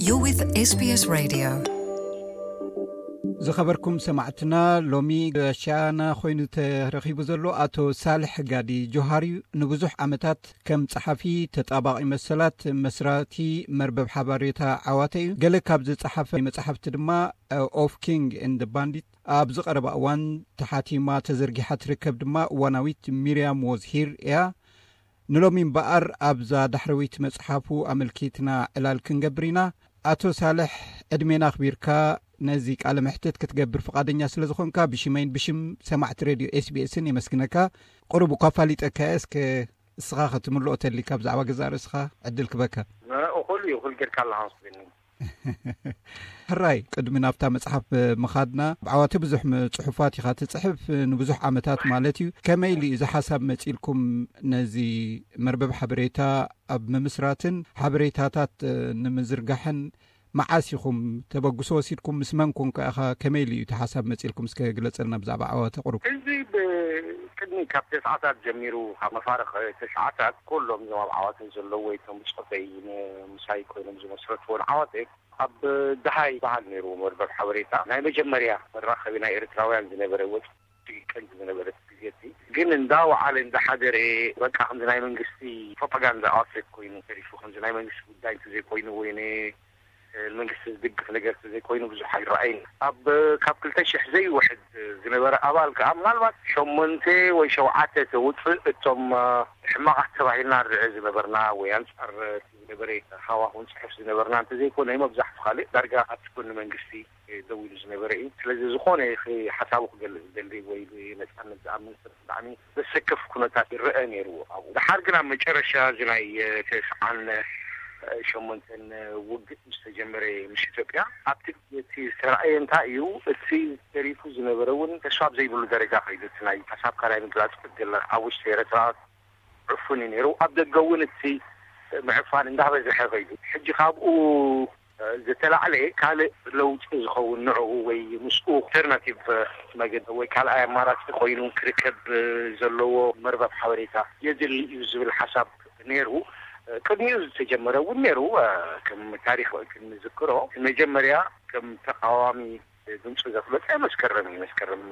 You're with S B S Radio. ዝኸበርኩም ሰማዕትና፣ ሎሚ ጋሻና ኮይኑ ተረኺቡ ዘሎ ኣቶ ሳልሕ ጋዲ ጆሃር እዩ። ንብዙሕ ዓመታት ከም ጸሓፊ ተጣባቒ መሰላት መስራቲ መርበብ ሓበሬታ ዓዋተ እዩ። ገለ ካብ ዝጸሓፈ መጻሕፍቲ ድማ ኦፍ ኪንግ ኤንድ ባንዲት፣ ኣብዚ ቀረባ እዋን ተሓቲማ ተዘርጊሓ ትርከብ ድማ እዋናዊት ሚርያም ዎዝ ሂር እያ። ንሎሚ እምበኣር ኣብዛ ዳሕረወይቲ መጽሓፉ ኣመልኪትና ዕላል ክንገብር ኢና። ኣቶ ሳልሕ፣ ዕድሜና ኣኽቢርካ ነዚ ቃለ መሕትት ክትገብር ፍቓደኛ ስለ ዝኾንካ ብሽመይን ብሽም ሰማዕቲ ሬድዮ ኤስቢኤስን የመስግነካ። ቁሩብ እኳ ፋሊጠካ እየ። እስከ እስኻ ክትምልኦ ተሊካ ብዛዕባ ገዛእ ርእስኻ ዕድል ክበካ። እኹል እዩ፣ እኹል ጌርካ ኣለኻ መስለኒ። ሕራይ፣ ቅድሚ ናብታ መጽሓፍ ምኻድና፣ ብዓዋተ ብዙሕ ም-፣ ጽሑፋት ኢኻ ትጽሕፍ፣ ንብዙሕ ዓመታት ማለት እዩ። ከመይ ኢሉ እዩ እዚ ሓሳብ መጺልኩም ነዚ መርበብ ሓበሬታ ኣብ ምምስራትን ሓበሬታታት ንምዝርጋሕን መዓስ ኢኹም ተበግሶ ወሲድኩም? ምስ መን ኮንካ ኢኻ? ከመይ ኢሉ እዩ እቲ ሓሳብ መጺልኩም? እስከ ግለጸልና ብዛዕባ ዓዋተ ቁሩብ። እዚ ብቅድሚ ካብ ተስዓታት ጀሚሩ፣ ካብ መፋርቕ ተስዓታት፣ ኩሎም እዞም ኣብ ዓዋተ ዘለዉ ወይ እቶም ብጾተይ ን-፣ ምሳይ ኮይኖም ዝመስረትዎን ዓዋተ ኣብ ደሃይ በሃል ነይሩ መርበብ ሓበሬታ። ናይ መጀመርያ መራኸቢ ናይ ኤርትራውያን ዝነበረ ወጽ ቀንዲ ዝነበረት ግዜ እቲ ግን እንዳወዓለ እንዳሓደረ በቃ ከምዚ ናይ መንግስቲ ፕሮፓጋንዳ ኣውትሌት ኮይኑ ተሪፉ፣ ከምዚ ናይ መንግስቲ ጉዳይ እንተዘይኮይኑ ወይ ን-፣ መንግስቲ ዝድግፍ ነገር እንተዘይኮይኑ ብዙሕ ኣይረኣይን። ኣብ ካብ ክልተ ሽሕ ዘይውሕድ ዝነበረ ኣባል ከዓ ምናልባት ሸሞንተ ወይ ሸውዓተ ተውፅእ እቶም ሕማቓት ተባሂልና ንርእ ዝነበርና ወይ ኣንፃር ዝነበረ ሃዋሁን ፅሑፍ ዝነበርና እንተዘይኮነ መብዛሕቱ ካልእ ዳርጋ ኣብቲ ጎኒ መንግስቲ ደው ኢሉ ዝነበረ እዩ። ስለዚ ዝኾነ ክ-፣ ሓሳቡ ክገልጽ ዝደሊ ወይ ብነጻነት ዝኣምን ሰብ ብጣዕሚ ዘሰክፍ ኩነታት ይረአ ነይሩ ኣብኡ። ደሓር ግን ኣብ መጨረሻ እዚ ናይ፣ እ፣ ተስዓን፣ እ፣ ሸሞንተን ውግእ ምስ ተጀመረ ምስ ኢትዮጵያ ኣብቲ እቲ ዝተረኣየ እንታይ እዩ፣ እቲ ተሪፉ ዝነበረ እውን ተስፋ ኣብ ዘይብሉ ደረጃ ከይዱ፣ እቲ ናይ ሓሳብካ ናይ ምግላጽ ዕድል ኣብ ውሽጢ ኤርትራ ዕፉን እዩ ነይሩ። ኣብ ደገ እውን እቲ ምዕፋን እንዳበዝሐ ከይዱ። ሕጂ ካብኡ ዝተላዕለ ካልእ ለውጢ ዝኸውን ንዕኡ ወይ ምስኡ ኣልተርናቲቭ መገዲ ወይ ካልኣይ ኣማራፂ ኮይኑ ክርከብ ዘለዎ መርበብ ሓበሬታ የድሊ እዩ ዝብል ሓሳብ ነይሩ። ቅድሚኡ ዝተጀመረ እውን ነይሩ። ከም ታሪክ ክንዝክሮ መጀመርያ ከም ተቃዋሚ ድምፁ ዘፍለጠ መስከረም እዩ። መስከረም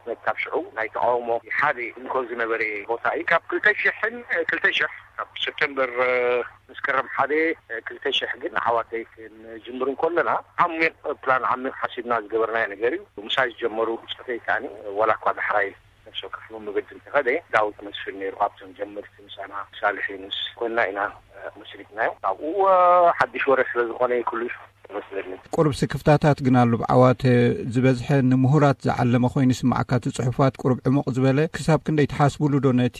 መታብ ሽዑ ናይ ተቃውሞ ሓደ እንኮ ዝነበረ ቦታ እዩ። ካብ ክልተ ሽሕን ክልተ ሽሕ ካብ ሰፕተምበር መስከረም ሓደ ክልተ ሽሕ ግን ዓዋተይ ክንጅምር እንከለና ዓሚቕ ፕላን ዓሚቕ ሓሲብና ዝገበርናዮ ነገር እዩ። ምሳይ ዝጀመሩ ብፆተይ ከዓኒ ዋላ እኳ ዳሕራይ ነፍሲ ወከፍ መገዲ እንተኸደ ዳዊት መስፍን ነይሩ ካብቶም ጀመርቲ ምሳና ሳልሕ ዩኑስ ኮይንና ኢና መስሪትናዮ። ካብኡ ሓድሽ ወረ ስለ ዝኾነ ኩሉ መስለኒ። ቁሩብ ስክፍታታት ግን ኣሎ። ብዓዋተ ዝበዝሐ ንምሁራት ዝዓለመ ኮይኑ ይስምዓካ። እቲ ጽሑፋት ቁሩብ ዕሙቕ ዝበለ፣ ክሳብ ክንደይ ትሓስቡሉ ዶ ነቲ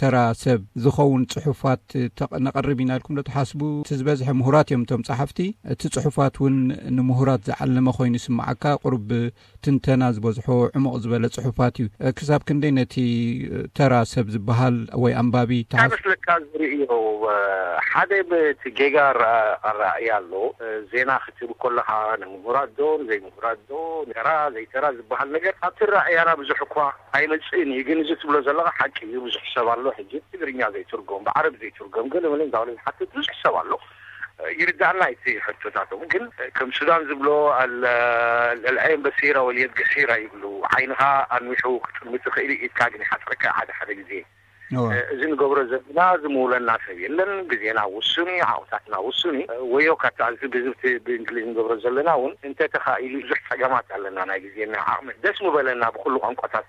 ተራ ሰብ ዝኸውን ጽሑፋት ተቕ-፣ ነቕርብ ኢና ኢልኩም ዶ ትሓስቡ? እቲ ዝበዝሐ ምሁራት እዮም እቶም ጸሓፍቲ። እቲ ጽሑፋት እውን ንምሁራት ዝዓለመ ኮይኑ ይስምዓካ። ቁሩብ ትንተና ዝበዝሖ ዕሙቕ ዝበለ ጽሑፋት እዩ። ክሳብ ክንደይ ነቲ ተራ ሰብ ዝበሃል ወይ ኣንባቢ እንታይ ትሓስ- መስለካ ዝርእዮ፣ ሓደ ብቲ ጌጋ ኣረ-፣ ኣረኣእያ ኣሎ። ዜና ክትህብ ከለኻ ንምሁራት ዶ ንዘይምሁራት ዶ፣ ተራ ዘይተራ ዝበሃል ነገር ኣብቲ ኣረኣእያና ብዙሕ እኳ ኣይመጽእን እዩ። ግን እዚ ትብሎ ዘለኻ ሓቂ እዩ። ብዙሕ ሰብ ኣሎ ሕጂ ትግርኛ ዘይትርጎም፣ ብዓረብ ዘይትርጎም፣ ገለ መለ እንዳበለ ዝሓትት ብዙሕ ሰብ ኣሎ። ይርዳእና እቲ ሕቶታቶም። ግን ከም ሱዳን ዝብሎ ኣል-፣ ኣልዐይን በሲራ ወልየድ ገሲራ ይብሉ። ዓይንኻ ኣንዊሑ ክጥምት ይኽእል እዩ፣ ኢድካ ግን ይሓጽረካ ሓደ ሓደ ግዜ። እወ። እዚ ንገብሮ ዘለና ዝምውለና ሰብ የለን። ግዜና ውሱን እዩ፣ ዓወታትና ውሱን እዩ። ወዮ ካታ እዚ ብዝብቲ ብእንግሊዝ ንገብሮ ዘለና እውን እንተተኻኢሉ ብዙሕ ጸገማት ኣለና። ናይ ግዜና ዓቕሚ ደስ ምበለና ብኩሉ ቋንቋታት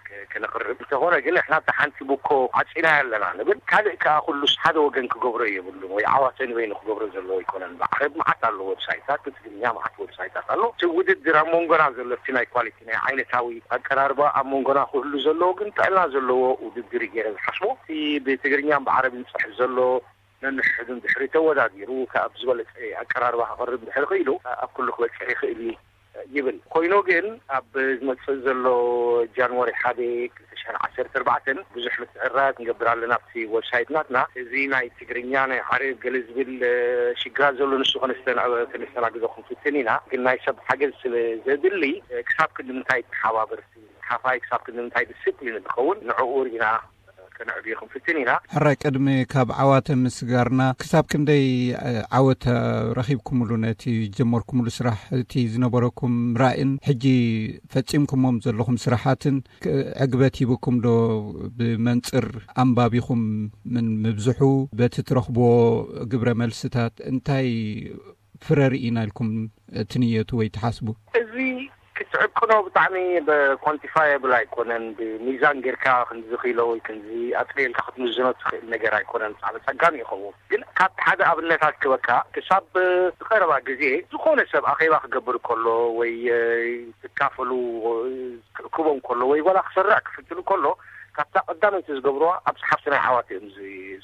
ክ-፣ ክነቕርብ እንተኾነ ግን ንሕና ኣብታ ሓንቲ ቡኮ ዓጺናዮ ኣለና ንብል። ካልእ ከኣ ኩሉስ ሓደ ወገን ክገብሮ የብሉን ወይ ዓዋተ ንበይኑ ክገብሮ ዘለዎ ኣይኮነን። ብዓረብ መዓት ኣሎ ዌብሳይታት፣ ብትግርኛ መዓት ዌብሳይታት ኣሎ። እቲ ውድድር ኣብ መንጎና ዘሎ እቲ ናይ ኳሊቲ ናይ ዓይነታዊ ኣቀራርባ ኣብ መንጎና ክህሉ ዘለዎ ግን ጥዕና ዘለዎ ውድድር እዩ ገይረ ዝሓስቦ። እቲ ብትግርኛን ብዓረብን ዝጽሕፍ ዘሎ ነንሕድን ድሕሪ ተወዳዲሩ ካብ ዝበለጸ ኣቀራርባ ከቕርብ ድሕሪ ክኢሉ ኣብ ኩሉ ክበጽሕ ይኽእል እዩ ይብል። ኮይኑ ግን ኣብ ዝመጽእ ዘሎ ጃንዋሪ ሓደ ክልተ ሽሕን ዓሰርተ ኣርባዕተን ብዙሕ ምትዕርራያት ንገብር ኣለና ኣብቲ ዌብሳይት ናትና። እዚ ናይ ትግርኛ ናይ ዓረብ ገለ ዝብል ሽግራት ዘሎ ንሱ ከነስተና-፣ ከነስተናግዶ ክንፍትን ኢና። ግን ናይ ሰብ ሓገዝ ስለ ዘድሊ ክሳብ ክንዲ ምንታይ ተሓባበርቲ፣ ሓፋይ ክሳብ ክንዲ ምንታይ ዲስፕሊን ዝኸውን ንዕኡ ርኢና ከነዕብዮ ክንፍትን ኢና። ሕራይ፣ ቅድሚ ካብ ዓዋተ ምስጋርና፣ ክሳብ ክንደይ ዓወት ረኺብኩምሉ ነቲ ጀመርኩምሉ ስራሕ? እቲ ዝነበረኩም ራእን ሕጂ ፈጺምኩሞም ዘለኹም ስራሓትን ዕግበት ሂብኩም ዶ? ብመንጽር ኣንባቢኹም ምን ምብዝሑ፣ በቲ ትረኽብዎ ግብረ መልስታት እንታይ ፍረ ርኢና ኢልኩም ትንየቱ ወይ ትሓስቡ? እዚ ክትዕቅኖ ብጣዕሚ ኳንቲፋየብል ኣይኮነን። ብሚዛን ጌርካ ክንዚ ኪሎ ወይ ክንዚ ኣጥርየልካ ክትምዝኖ ትኽእል ነገር ኣይኮነን። ብጣዕሚ ጸጋሚ ይኸውን። ግን ካብ ሓደ ኣብነታት ክበካ፣ ክሳብ ዝቐረባ ግዜ ዝኾነ ሰብ ኣኼባ ክገብር ከሎ ወይ ትካፈሉ ክእክቦም ከሎ ወይ ዋላ ክሰርዕ ክፍትኑ ከሎ፣ ካብታ ቀዳመይቲ ዝገብርዋ ኣብ ጸሓፍቲ ናይ ዓዋት እዮም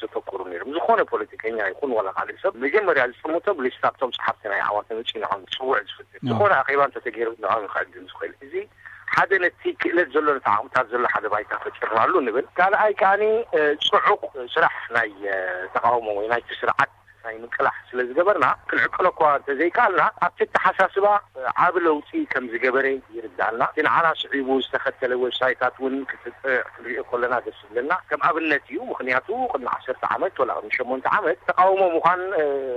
ዘተኩሩ ነይሮም። ዝኾነ ፖለቲከኛ ይኹን ዋላ ካልእ ሰብ መጀመርያ ዝጥምቶም ሊስታቶም ጸሓፍቲ ናይ ዓዋት መጺኡ ንዖም ዝጽውዕ ዝፍትን። ዝኾነ ኣኼባ እንተተገይሩ ንዖም ክዕድም ዝኽእል። እዚ ሓደ ነቲ ክእለት ዘሎ፣ ነቲ ዓቕምታት ዘሎ ሓደ ባይታ ፈጢርናሉ ንብል። ካልኣይ ከኣኒ ጽዑቕ ስራሕ ናይ ተቃውሞ ወይ ናይቲ ስርዓት ናይ ምቅላሕ ስለ ዝገበርና፣ ክንዕቅሎ እኳ እንተዘይከኣልና፣ ኣብቲ ኣተሓሳስባ ዓቢ ለውጢ ከም ዝገበረ ይርዳእና። እቲ ንዓና ስዒቡ ዝተኸተለ ዌብሳይታት እውን ክትጥዕ ክንሪኦ ከለና ደስ ዝብለና ከም ኣብነት እዩ። ምኽንያቱ ቅድሚ ዓሰርተ ዓመት ወላ ቅድሚ ሸሞንተ ዓመት ተቃውሞ ምዃን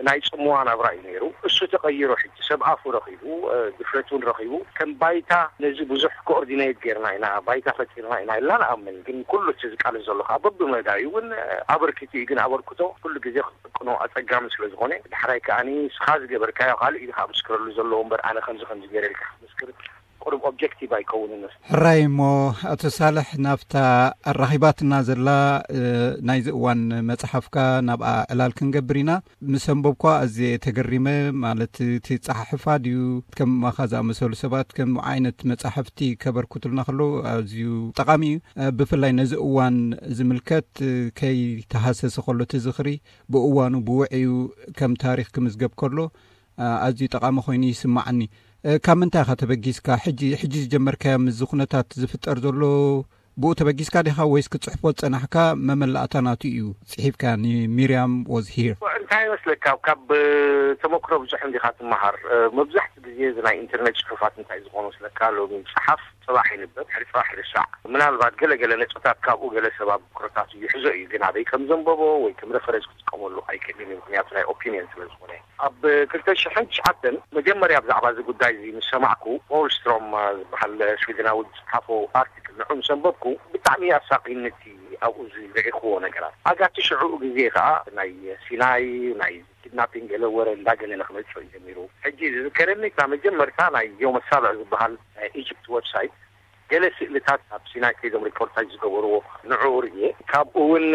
ናይ ጽምዋ ናብራ እዩ ነይሩ። እሱ ተቐይሩ ሕጂ ሰብ ኣፉ ረኺቡ፣ ድፍረት እውን ረኺቡ፣ ከም ባይታ ነዚ ብዙሕ ኮኦርዲኔት ጌርና ኢና፣ ባይታ ፈጢርና ኢና ኢልና ንኣምን። ግን ኩሉ እቲ ዝቃለስ ዘሎ ከዓ በብመዳዩ እውን ኣበርኪቱ እዩ። ግን ኣበርክቶ ኩሉ ግዜ ክትቅኖ ኣጸጋሚ ስለ ዝኾነ፣ ዳሕራይ ከኣኒ ንስኻ ዝገበርካዮ ካልእ እዩ ከዓ ምስክረሉ ዘለዎ እምበር ኣነ ከምዚ ከምዚ ገይረ ኢልካ ክትምስክር ቁሩብ ኦብጀክቲቭ ኣይከውንን። ሕራይ እሞ፣ ኣቶ ሳልሕ፣ ናብታ ኣራኺባትና ዘላ ናይዚ እዋን መጽሓፍካ ናብኣ ዕላል ክንገብር ኢና። ምስ ኣንበብኳ ኣዝየ ተገሪመ። ማለት፣ እቲ ጸሓሕፋ ድዩ፣ ከማኻ ዝኣመሰሉ ሰባት ከም ዓይነት መጻሕፍቲ ከበርክቱልና ከለዉ ኣዝዩ ጠቓሚ እዩ። ብፍላይ ነዚ እዋን ዝምልከት ከይተሃሰሰ ከሎ እቲ ዝኽሪ ብእዋኑ ብውዕዩ ከም ታሪኽ ክምዝገብ ከሎ ኣዝዩ ጠቓሚ ኮይኑ ይስማዓኒ። ካብ ምንታይ ኢኻ ተበጊስካ? ሕጂ፣ ሕጂ ዝጀመርካዮ ምስዚ ኩነታት ዝፍጠር ዘሎ ብኡ ተበጊስካ ዲኻ ወይስ ክትጽሕፎ ዝጸናሕካ መመላእታ ናቱ እዩ ጽሒፍካ ንሚርያም ወዝ ሂር? እንታይ ይመስለካ፣ ካብ ተመክሮ ብዙሕ እንዲኻ ትመሃር። መብዛሕትኡ ግዜ እዚ ናይ ኢንተርኔት ጽሑፋት እንታይ ዝኾኑ መስለካ፣ ሎሚ ጸሓፍ፣ ጽባሕ ይንበብ፣ ድሕሪ ጽባሕ ይርሳዕ። ምናልባት ገለ ገለ ነጥብታት ካብኡ ገለ ሰብ ኣብ ብኩረታቱ ይሕዞ እዩ፣ ግን ኣበይ ከም ዘንበቦ ወይ ከም ሬፈረንስ ክጥቀመሉ ኣይክእልን እዩ፣ ምኽንያቱ ናይ ኦፒንየን ስለ ዝኾነ። ኣብ ክልተ ሽሕን ትሽዓተን መጀመርያ ብዛዕባ እዚ ጉዳይ እዚ ምስ ሰማዕኩ፣ ፖልስትሮም ዝበሃል ስዊድናዊ ዝጸሓፎ ኣርቲክል ንዑ ምስ ኣንበብኩ፣ ብጣዕሚ ኣሳቒኒ እቲ ኣብኡ ዝረኢኽዎ ነገራት። ኣጋቲ ሽዑኡ ግዜ ከኣ ናይ ሲናይ፣ ናይ ኪድናፒንግ ገለ ወረ እንዳገነነ ክመጽእ እዩ ጀሚሩ። ሕጂ ዝዝከረኒ እታ መጀመርታ ናይ ዮም ኣሳብዕ ዝበሃል ናይ ኢጅፕት ዌብሳይት ገለ ስእልታት ኣብ ሲናይ ከይዶም ሪፖርታጅ ዝገበርዎ ንዕኡ ርእየ። ካብኡ እውን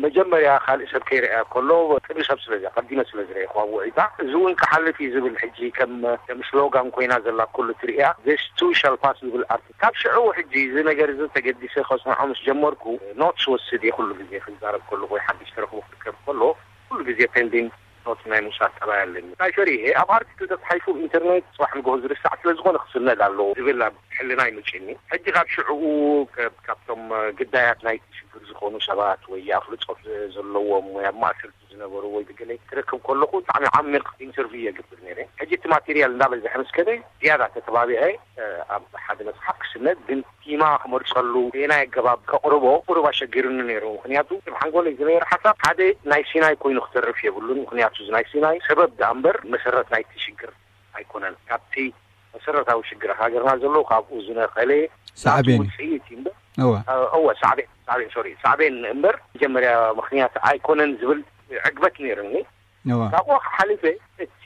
መጀመርያ ካልእ ሰብ ከይረኣያ ከሎ ቅድሚ ሰብ ስለ ቀዲመ ስለ ዝረእኹዋ ውዒታ፣ እዚ እውን ክሓልፍ እዩ ዝብል ሕጂ ከም ከም ስሎጋን ኮይና ዘላ ኩሉ ትርእያ፣ this too shall pass ዝብል ኣርት። ካብ ሽዑ ሕጂ እዚ ነገር እዚ ተገዲሰ ከጽንዖ ምስ ጀመርኩ፣ ኖትስ ወስድ እየ። ኩሉ ግዜ ክዛረብ ከለኹ ወይ ሓድሽ ተረኽቦ ክርከብ ከሎ ኩሉ ግዜ ፔንዲንግ ኖት ናይ ምውሳድ ጠባይ ኣለኒ። እንታይ ፈሪሀ፣ ኣብ ኣርቲክል ተጻሒፉ ኢንተርኔት ጽባሕ ንግሆ ዝርሳዕ ስለ ዝኾነ ክስነድ ኣለዎ ዝብል ኣብ ሕልናይ መጺኡኒ። ሕጂ ካብ ሽዕኡ ከ-፣ ካብቶም ግዳያት ናይቲ ሽግር ዝኾኑ ሰባት ወይ ኣፍልጦ ዘለዎም ወይ ኣብ ማእሰርቲ ዝነበሩ ወይ ብገለ ክረክብ ከለኹ ብጣዕሚ ዓሚቕ ኢንተርቪው የግብር ነይረ። ሕጂ እቲ ማቴሪያል እንዳበዝሐ ምስ ከደ ዝያዳ ተተባቢዐ፣ እ፣ ኣብ ሓደ መጽሓፍ ክስነድ ግን ቲማ ክመርጸሉ በየናይ ኣገባብ ከቕርቦ ቁሩብ ኣሸጊሩኒ ነይሩ። ምኽንያቱ፣ ኣብ ሓንጎለይ ዝነበረ ሓሳብ ሓደ ናይ ሲናይ ኮይኑ ክተርፍ የብሉን። ምኽንያቱ፣ እዚ ናይ ሲናይ ሰበብ ደኣ እምበር መሰረት ናይቲ ሽግር ኣይኮነን። ካብቲ መሰረታዊ ሽግር ሃገርና ዘሎ ካብኡ ዝነቐለ ሳዕቤን። ናቱ ውጽኢት እዩ እምበር፣ እወ። እ፣ እወ፣ ሳዕቤን፣ ሳዕቤን፣ ሶሪ፣ ሳዕቤን እምበር መጀመርያ ምኽንያት ኣይኮነን ዝብል ዕግበት ነይሩኒ። እወ። ካብኡ ሓሊፈ እቲ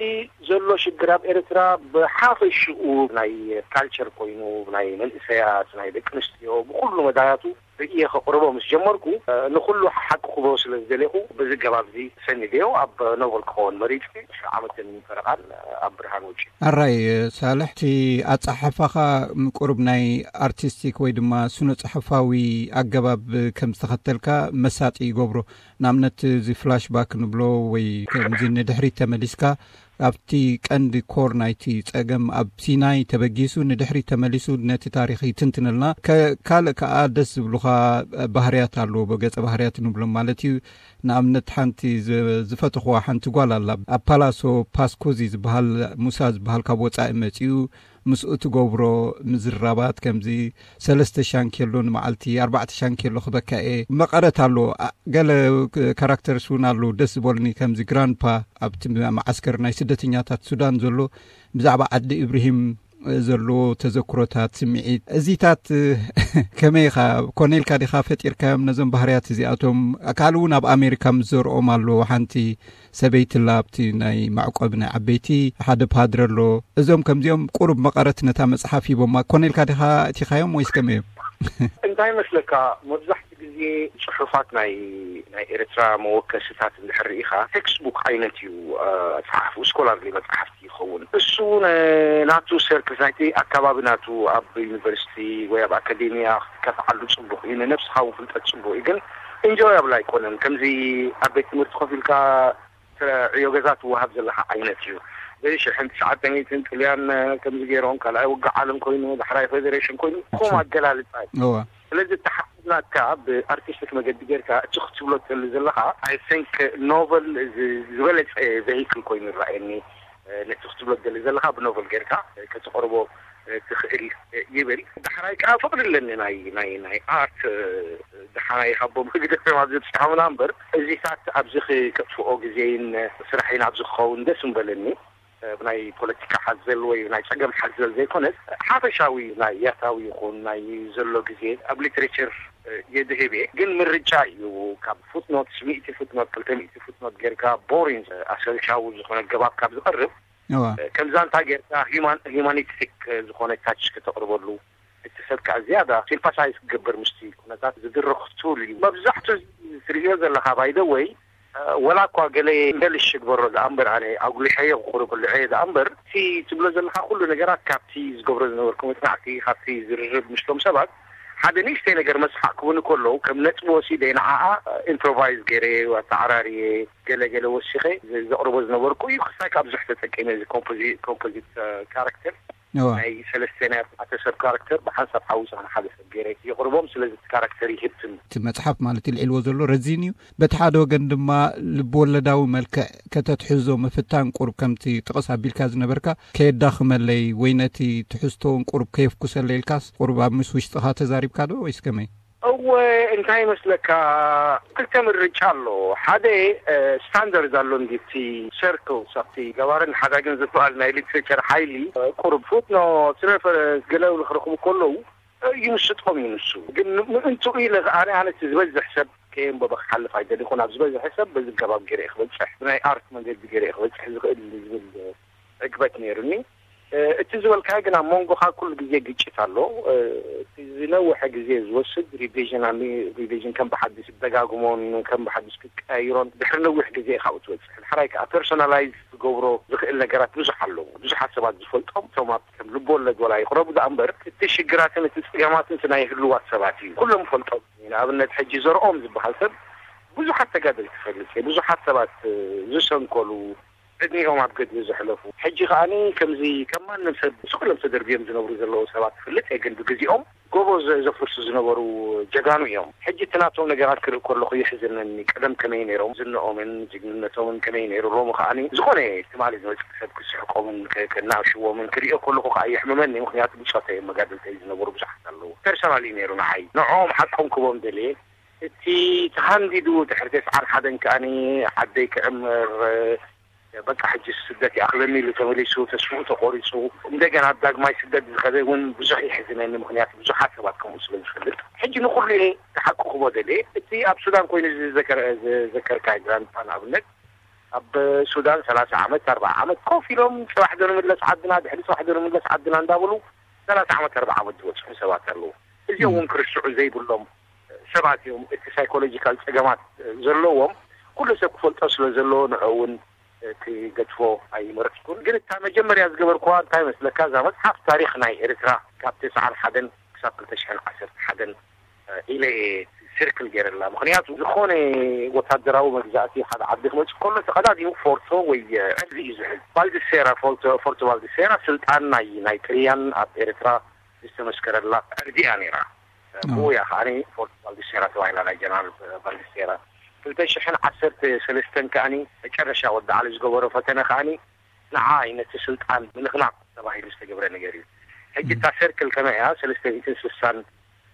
ዘሎ ሽግር ኣብ ኤርትራ ብሓፈሽኡ ናይ ካልቸር ኮይኑ፣ ናይ መንእሰያት፣ ናይ ደቂ ኣንስትዮ፣ ብኩሉ መዳያቱ ርእየ ከቕርቦ ምስ ጀመርኩ፣ እ፣ ንኹሉ ሓቂ ክህቦ ስለ ዝደለኹ፣ በዚ ገባብ እዚ ሰኒደዮ ኣብ ኖቨል ክኸውን መሪጸ፣ ዓመትን ፈረቓን ኣብ ብርሃን ወጺኡ። ኣራይ ሳልሕ፣ እቲ ኣጸሓሕፋኻ ቁሩብ ናይ ኣርቲስቲክ ወይ ድማ ስነ ጽሑፋዊ ኣገባብ ከም ዝተኸተልካ መሳጢ ይገብሮ። ንኣብነት፣ እዚ ፍላሽባክ ንብሎ ወይ ከምዚ ንድሕሪት ተመሊስካ ኣብቲ ቀንዲ ኮር ናይቲ ጸገም ኣብ ሲናይ ተበጊሱ ንድሕሪት ተመሊሱ ነቲ ታሪኽ ይትንትነልና። ከ-፣ ካልእ ከኣ ደስ ዝብሉኻ ባህርያት ኣለዎ፣ ገጸ ባህርያት ንብሎም ማለት እዩ። ንኣብነት ሓንቲ ዝ-፣ ዝፈተኽዋ ሓንቲ ጓል ኣላ። ኣብ ፓላሶ ፓስኮዚ ዝበሃል ሙሳ ዝበሃል ካብ ወጻኢ መጺኡ ምስኡ ትገብሮ ምዝራባት፣ ከምዚ ሰለስተ ሻንኬሎ ንመዓልቲ፣ ኣርባዕተ ሻንኬሎ ክበካ እየ፣ መቐረት ኣሎ። ኣ- ገለ ክ- ካራክተርስ እውን ኣሎ ደስ ዝበሉኒ፣ ከምዚ ግራንፓ ኣብቲ መዓስከር ናይ ስደተኛታት ሱዳን ዘሎ፣ ብዛዕባ ዓዲ እብርሂም ዘለዎ ተዘክሮታት፣ ስምዒት፣ እዚታት ከመይ ኢኻ? ኮነ ኢልካ ዲኻ ፈጢርካዮም ነዞም ባህርያት እዚኣቶም? ካልእ እውን ኣብ ኣሜሪካ ምስ ዘርኦም ኣሎ፣ ሓንቲ ሰበይቲ ኣላ ኣብቲ ናይ መዕቆቢ ናይ ዓበይቲ፣ ሓደ ፓድረ ኣሎ። እዞም ከምዚኦም ቁሩብ መቐረት ነታ መጽሓፍ ሂቦማ። ኮነ ኢልካ ዲኻ እቲኻዮም ወይስ ከመይ እዮም? እንታይ መስለካ፣ መብዛሕትኡ ግዜ ጽሑፋት ናይ ናይ ኤርትራ መወከስታት እንድሕር ርኢኻ፣ ቴክስት ቡክ ዓይነት እዩ። እ፣ ጸሓፍኡ ስኮላርሊ መጽሓፍቲ ይኸውን። እሱ ን- ናቱ ሰርክል ናይቲ ኣካባቢ ናቱ ኣብ ዩኒቨርሲቲ ወይ ኣብ ኣካዴሚያ ክትከፍዓሉ ጽቡቕ እዩ፣ ንነብስኻ እውን ፍልጠት ጽቡቕ እዩ። ግን ኢንጆያብል ኣይኮነን። ከምዚ ኣብ ቤት ትምህርቲ ኮፍ ኢልካ ዕዮ ገዛ ትወሃብ ዘለኻ ዓይነት እዩ። ዘይ ሽሕን ትሽዓተ ሚእትን ጥልያን ከምዚ ገይሮም፣ ካልኣይ ውግእ ዓለም ኮይኑ፣ ዳሕራይ ፌዴሬሽን ኮይኑ፣ ከምኡ ኣገላልጻ እዩ። እዋ ስለዚ እተሓስብናካ ብኣርቲስቲክ መገዲ ጌርካ እቲ ክትብሎ ትደሊ ዘለኻ፣ I think ኖቨል ዝ- ዝበለጸ ቬሂክል ኮይኑ ይረኣየኒ። ነቲ ክትብሎ ትደሊ ዘለኻ ብኖቨል ጌርካ ከተቕርቦ ትኽእል ይብል። ዳሕራይ ከዓ ፍቕሪ ኣለኒ ናይ ናይ ናይ ኣርት። ደሓናይ ካብቦም ህግደፍም ኣብዚ ብፅሖምና እምበር፣ እዚታት ኣብዚ ክጥፍኦ ግዜን ስራሕን ኣብዚ ክኸውን ደስ ምበለኒ። ብናይ ፖለቲካ ሓዘል ወይ ናይ ፀገም ሓዘል ዘይኮነስ፣ ሓፈሻዊ ናይ ያታዊ ይኹን ናይ ዘሎ ግዜ ኣብ ሊትሬቸር የድህብ እየ። ግን ምርጫ እዩ። ካብ ፉትኖት፣ ሚእቲ ፉትኖት፣ ክልተ ሚእቲ ፉትኖት ጌርካ ቦሪን ኣሰልቻዊ ዝኾነ ገባብ ካብ ዝቐርብ፣ እዋ ከም ዛንታ ጌርካ ሂማን ሂማኒስቲክ ዝኾነ ታች ከተቕርበሉ፣ እቲ ሰብ ከዓ ዝያዳ ሲምፓሳይዝ ክገብር ምስቲ ኩነታት ዝድርኽ ቱል እዩ። መብዛሕቱ ትርእዮ ዘለኻ ባይደ ወይ፣ ወላ እኳ ገለ ሄልሽ ግበሮ ደኣ እምበር፣ ኣነ ኣጉሊሐዮ ክቕርበሉ ዕየ ደኣ እምበር፣ እቲ ትብሎ ዘለኻ ኩሉ ነገራት ካብቲ ዝገብሮ ዝነበርኩ መጽናዕቲ፣ ካብቲ ዝርርብ ምስቶም ሰባት ሓደ ንእሽተይ ነገር መስሓቅ ክቡኒ ከለዉ፣ ከም ነጥቢ ወሲደ ንዓኣ ኢምፕሮቫይዝ ገይረ፣ ኣተዓራርየ፣ ገለ ገለ ወሲኸ ዘቕርቦ ዝነበርኩ እዩ። ክሳይ ካብ ብዙሕ ተጠቂመ፣ እዚ ኮምፖዚ- ኮምፖዚት ካራክተር እዋ ናይ ሰለስተ ናይ ኣርባዕተ ሰብ ካራክተር ብሓንሳብ ሓዊሰ ንሓደ ሰብ ገይረ የቕርቦም። ስለዚ እቲ ካራክተር ይህብትም። እቲ መጽሓፍ ማለት ልዒልዎ ዘሎ ረዚን እዩ። በቲ ሓደ ወገን ድማ ልብወለዳዊ መልክዕ ከተትሕዞ ምፍታን ቁሩብ ከምቲ ጥቕስ ኣቢልካ ዝነበርካ ከየዳኽመለይ ወይ ነቲ ትሕዝቶውን ቁሩብ ከየፍኩሰለይ ኢልካስ ቁሩብ ኣብ ምስ ውሽጥኻ ተዛሪብካ ዶ ወይስ ከመይ? እወ፣ እንታይ ይመስለካ፣ ክልተ ምርጫ ኣሎ። ሓደ ስታንዳርድ ኣሎ እንዲ እቲ ሰርክልስ ኣብቲ ገባርን ሓዳግን ዝበሃል ናይ ሊትሬቸር ሓይሊ፣ ቁሩብ ፉትኖትስ፣ ሬፈረንስ ገለ ክረኽቡ ከለዉ ይምስጦም እዩ። ንሱ ግን ምእንትኡ ኢለ ኣነ ኣነ እቲ ዝበዝሕ ሰብ ከየንበበ ክሓልፍ ኣይደሊኹን። ኣብ ዝበዝሐ ሰብ በዚ ገባብ ገይረ እየ ክበፅሕ፣ ብናይ ኣርት መንገዲ ገይረ እየ ክበፅሕ ዝኽእል ዝብል ዕግበት ነይሩኒ። እቲ ዝበልካዮ ግን ኣብ መንጎኻ ኩሉ ግዜ ግጭት ኣሎ። እቲ ዝነውሐ ግዜ ዝወስድ ሪቪዥን ኣሎ። ሪቪዥን ከም ብሓድሽ ደጋግሞን ከም ብሓድሽ ክቀያይሮን ድሕሪ ነዊሕ ግዜ ኢኻ ትወፅእ። ድሕራይ ከዓ ፐርሶናላይዝ ክገብሮ ዝኽእል ነገራት ብዙሕ ኣለዉ። ብዙሓት ሰባት ዝፈልጦም፣ እቶም ኣብ ከም ልቦወለድ ወላ ይቕረቡ ደኣ እምበር፣ እቲ ሽግራትን እቲ ፀገማትን እቲ ናይ ህልዋት ሰባት እዩ። ኩሎም ፈልጦም። ንኣብነት ሕጂ ዘርኦም ዝበሃል ሰብ ብዙሓት ተጋደልቲ ፈልጥ እየ፣ ብዙሓት ሰባት ዝሰንከሉ፣ ዕድሚኦም ኣብ ገድሊ ዘሕለፉ። ሕጂ ከኣኒ ከምዚ ከም ማንም ሰብ ስቕ ኢሎም ተደርብዮም ዝነብሩ ዘለዉ ሰባት እፈልጥ እየ፣ ግን ብግዜኦም ጎቦ ዘ- ዘፍርሱ ዝነበሩ ጀጋኑ እዮም። ሕጂ እቲ ናቶም ነገራት ክርኢ ከለኹ የሕዝነኒ። ቀደም ከመይ ነይሮም፣ ዝንኦምን ጅግንነቶምን ከመይ ነይሩ፣ ሎሚ ከኣኒ ዝኾነ ትማሊ ዝመፅእ ሰብ ክስሕቆምን ከ- ከናእሽዎምን ክርእዮ ከለኹ ከዓ የሕምመኒ። ምክንያቱ ብፆተይ እዮም መጋድልተይ ዝነበሩ ብዙሓት ኣለዉ። ፐርሰናሊ ነይሩ ንዓይ። ንዕኦም ሓቆም ክቦም ደልየ። እቲ ተሃንዲዱ ድሕሪ ተስዓን ሓደን ከኣኒ ዓደይ ክዕምር፣ በቃ ሕጂ ስደት ይኣኽለኒ ኢሉ ተመሊሱ፣ ተስፍኡ ተቖሪፁ፣ እንደገና ዳግማይ ስደት ዝኸደ እውን ብዙሕ የሕዝነኒ። ምክንያቱ ብዙሓት ሰባት ከምኡ ስለ ዝፈልጥ። ሕጂ ንኹሉ እየ ተሓቁኽቦ ደልየ። እቲ ኣብ ሱዳን ኮይኑ ዝዘከረ- ዝዘከርካ ግራንድፓ ንኣብነት፣ ኣብ ሱዳን ሰላሳ ዓመት፣ ኣርባዓ ዓመት ኮፍ ኢሎም፣ ፅባሕ ዶ ንምለስ ዓድና፣ ድሕሪ ፅባሕ ዶ ንምለስ ዓድና እንዳበሉ ሰላሳ ዓመት፣ ኣርባዓ ዓመት ዝበፅሑ ሰባት ኣለዉ። እዚኦም እውን ክርስዑ ዘይብሎም ሰባት እዮም። እቲ ሳይኮሎጂካል ፀገማት ዘለዎም ኩሉ ሰብ ክፈልጦ ስለ ዘለዎ ንዑ እውን ክገድፎ ኣይመረፅኩን። ግን እታ መጀመርያ ዝገበርኩዋ እንታይ መስለካ፣ እዛ መፅሓፍ ታሪክ ናይ ኤርትራ ካብ ተስዓን ሓደን ክሳብ ክልተ ሽሕን ዓሰርተ ሓደን ኢለ እየ ስርክል ገይረላ። ምክንያቱ ዝኾነ ወታደራዊ መግዛእቲ ሓደ ዓዲ ክመፅእ ከሎ ተቐዳዲሙ ፎርቶ ወይ ዕርዲ እዩ ዝሕዝ። ባልዲሴራ፣ ፎርቶ ፎርቶ ባልዲሴራ ስልጣን ናይ ናይ ጥልያን ኣብ ኤርትራ ዝተመስከረላ ዕርዲ እያ ነይራ። ብኡ እያ ከዓኒ ፎርቶ ባልዲሴራ ተባሂላ፣ ናይ ጀነራል ባልዲሴራ። ክልተ ሽሕን ዓሰርተ ሰለስተን ከዓኒ መጨረሻ ወዲ ዓሊ ዝገበሮ ፈተነ ከዓኒ ንዓ እዩ ነቲ ስልጣን ምንቕናቕ ተባሂሉ ዝተገብረ ነገር እዩ። ሕጂ እታ ሰርክል ከመይ እያ? ሰለስተ ሚእትን ስሳን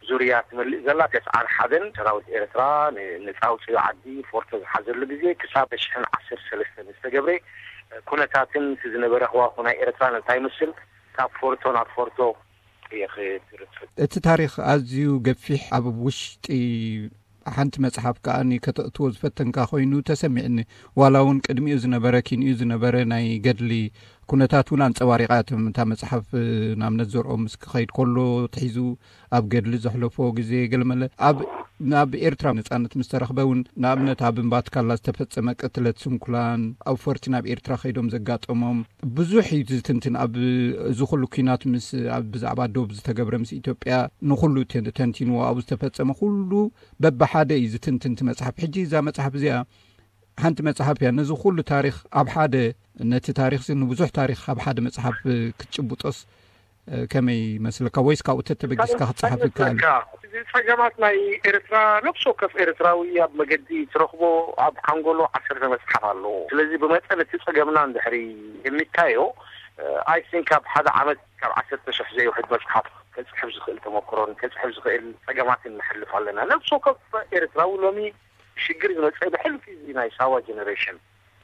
ዙርያ ትመልእ ዘላ። ተስዓን ሓደን ሰራዊት ኤርትራ ንነጻ ኣውጽኡ ዓዲ ፎርቶ ዝሓዘሉ ግዜ ክሳብ ሽሕን ዓሰርተ ሰለስተ ዝተገብረ ኩነታትን እቲ ዝነበረ ህዋኹ ናይ ኤርትራ እንታይ ይመስል፣ ካብ ፎርቶ ናብ ፎርቶ እየ ክትርፍ። እቲ ታሪኽ ኣዝዩ ገፊሕ፣ ኣብ ውሽጢ ሓንቲ መጽሓፍ ከኣ ከተእትዎ ዝፈተንካ ኮይኑ ተሰሚዕኒ። ዋላ እውን ቅድሚኡ ዝነበረ፣ ኪንኡ ዝነበረ ናይ ገድሊ ኩነታት እውን ኣንጸባሪቓ እያ። እታ መጽሓፍ፣ ንኣብነት፣ ዘርኦም ምስ ክኸይድ ከሎ ትሒዙ ኣብ ገድሊ ዘሕለፎ ግዜ፣ ገለመለ ኣብ ናብ ኤርትራ ነጻነት ምስ ተረኽበ እውን፣ ንኣብነት፣ ኣብ እምባትካላ ዝተፈጸመ ቅትለት ስንኩላን፣ ኣብ ፈርቲ ናብ ኤርትራ ከይዶም ዘጋጠሞም ብዙሕ እዩ ዝትንትን። ኣብ እዚ ኩሉ ኲናት ምስ፣ ኣብ ብዛዕባ ዶብ ዝተገብረ ምስ ኢትዮጵያ ንኹሉ ተን-፣ ተንቲንዎ፣ ኣብኡ ዝተፈጸመ ኩሉ በብሓደ እዩ ዝትንትን እቲ መጽሓፍ። ሕጂ እዛ መጽሓፍ እዚኣ ሓንቲ መጽሓፍ እያ። ነዚ ኩሉ ታሪኽ ኣብ ሓደ፣ ነቲ ታሪኽሲ ንብዙሕ ታሪኽ ኣብ ሓደ መጽሓፍ ክትጭብጦስ፣ እ፣ ከመይ ይመስለካ? ወይስ ካብኡ ተተበጊስካ ክትጽሓፍ ይከኣል? ይመስለካ? እዚ ጸገማት ናይ ኤርትራ፣ ነፍሲ ወከፍ ኤርትራዊ ኣብ መገዲ ትረኽቦ፣ ኣብ ሓንጎሎ ዓሰርተ መጽሓፍ ኣለዎ። ስለዚ ብመጠን እቲ ጸገምና እንድሕሪ የሚካዮ፣ እ፣ I think ኣብ ሓደ ዓመት ካብ ዓሰርተ ሽሕ ዘይውሕድ መጽሓፍ ከጽሕፍ ዝኽእል ተመክሮን ከጽሕፍ ዝኽእል ጸገማትን ንሕልፍ ኣለና። ነፍሲ ወከፍ ኤርትራዊ ሎሚ ሽግር ዝመጽእ ብሕልፊ እዚ ናይ ሳዋ ጀነሬሽን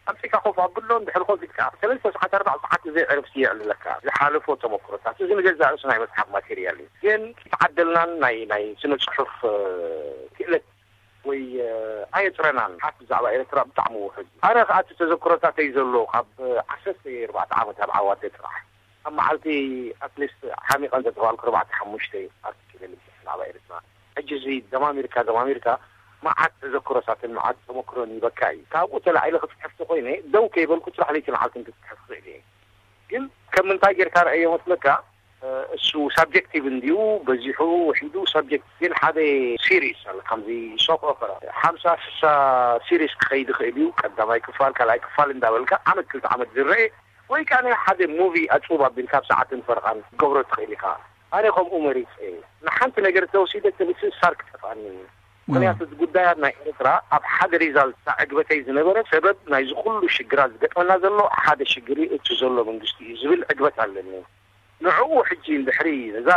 ኣምጺእካ ኮፍ ኣብሎ፣ እንድሕር ኮፍ ኢልካ ሰለስተ ሰዓት፣ ኣርባዕ ሰዓት ብዘይ ዕረፍቲ የዕልለካ ዝሓለፎ ተመክሮታት። እዚ ንገዛእ ርእሱ ናይ መጽሓፍ ማቴርያል እዩ። ግን ተዓደልናን ናይ፣ ናይ ስነ ጽሑፍ፣ እ፣ ክእለት ወይ፣ እ፣ ኣየጥረናን። ሓፍ ብዛዕባ ኤርትራ ብጣዕሚ ውሑድ እዩ። ኣነ ከኣ እቲ ተዘክሮታተይ ዘሎ ካብ ዓሰርተ ኣርባዕተ ዓመት ኣብ ዓዋደ ጥራሕ ኣብ መዓልቲ ኣትሊስት ሓሚቐ እንተተባልኩ ኣርባዕተ ሓሙሽተ ኣርቲክል ብዛዕባ ኤርትራ። ሕጂ እዚ ደማሚርካ ደማሚርካ መዓት ተዘክሮታትን መዓት ተመክሮን ይበካ እዩ። ካብኡ ተላዒለ ክጽሕፍ ተኮይነ ደው ከይበልኩ ጥራሕ ለይቲ መዓልትን ክጽሕፍ ክኽእል እየ። ግን ከም ምንታይ ጌርካ ረኣዮ መስለካ? እ፣ እሱ ሳብጀክቲቭ እንዲዩ በዚሑ ውሒዱ ሳብጀክት። ግን ሓደ ሲሪስ ኣለ፣ ከምዚ ሶፕ ኦፐራ ሓምሳ ስሳ ሲሪስ ክኸይድ ይኽእል እዩ። ቀዳማይ ክፋል፣ ካልኣይ ክፋል እንዳበልካ ዓመት ክልተ ዓመት ዝረአ፣ ወይ ከኣ ናይ ሓደ ሙቪ ኣጽቡብ ኣቢልካ ኣብ ሰዓትን ፈረቓን ክትገብሮ ትኽእል ኢኻ። ኣነ ከምኡ መሪጸ። ንሓንቲ ነገር ተወሲደ እቲ ምስእሳር ክጠፍኣኒ እዩ። ምኽንያቱ እቲ ጉዳያት ናይ ኤርትራ ኣብ ሓደ ሪዛልት ዕግበተይ ዝነበረ ሰበብ ናይዚ ኩሉ ሽግራት ዝገጥመና ዘሎ ሓደ ሽግር እዩ፣ እቲ ዘሎ መንግስቲ እዩ ዝብል ዕግበት ኣለኒ። ንዕኡ ሕጂ እንድሕሪ እዛ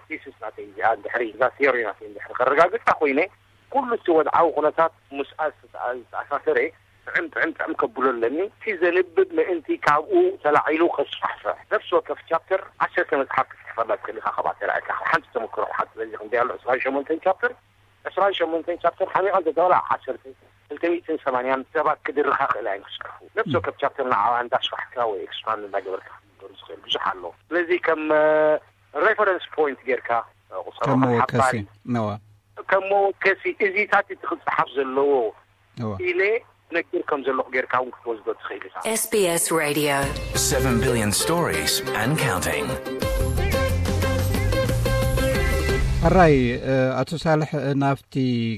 ቴሲስ ናተይ እዚኣ እንድሕሪ እዛ ቲዮሪ ናተይ እንድሕሪ ከረጋግጻ ኮይነ፣ ኩሉ እቲ ወድዓዊ ኩነታት ምስኣ ዝተኣ-፣ ዝተኣሳሰረ ጥዕም ጥዕም ጥዕም ከብሎ ኣለኒ። እቲ ዘንብብ ምእንቲ ካብኡ ተላዒሉ ከስፋሕፍሕ። ነፍሲ ወከፍ ቻፕተር ዓሰርተ መጽሓፍ ክትጽሕፈላ ትኽእል ኢኻ። ካብኣ ተላዒልካ ካብ ሓንቲ ተመክሮ፣ ካብ ሓንቲ በዚ ክንደይ ኣሎ፣ ዕስራን ሸሞንተን ቻፕተር፣ ዕስራን ሸሞንተን ቻፕተር ሓሚቓ እንተተባላ ዓሰርተ፣ ክልተ ሚእትን ሰማንያን ሰባት ክድርኻ ክእል ኣይን ክጽሕፉ። ነፍሲ ወከፍ ቻፕተር ንዓኣ እንዳስፋሕካ ወይ ኤክስፓንድ እንዳገበርካ ክትገሩ ዝኽእል ብዙሕ ኣሎ። ስለዚ ከም፣ እ፣ ሬፈረንስ ፖይንት ጌርካ፣ እ፣ ቁጸሮ ከም ከም መወከሲ፣ ሓባሪ፣ ነዋ። ከም መወከሲ እዚታት እቲ ክጽሓፍ ዘለዎ እዋ። ኢለ ነግር ከም ዘለኹ ጌርካ እውን ክትወስዶ ትኽእል ኢኻ። S B S Radio. Seven billion stories and counting. ሕራይ፣ እ፣ ኣቶ ሳልሕ፣ እ፣ ናብቲ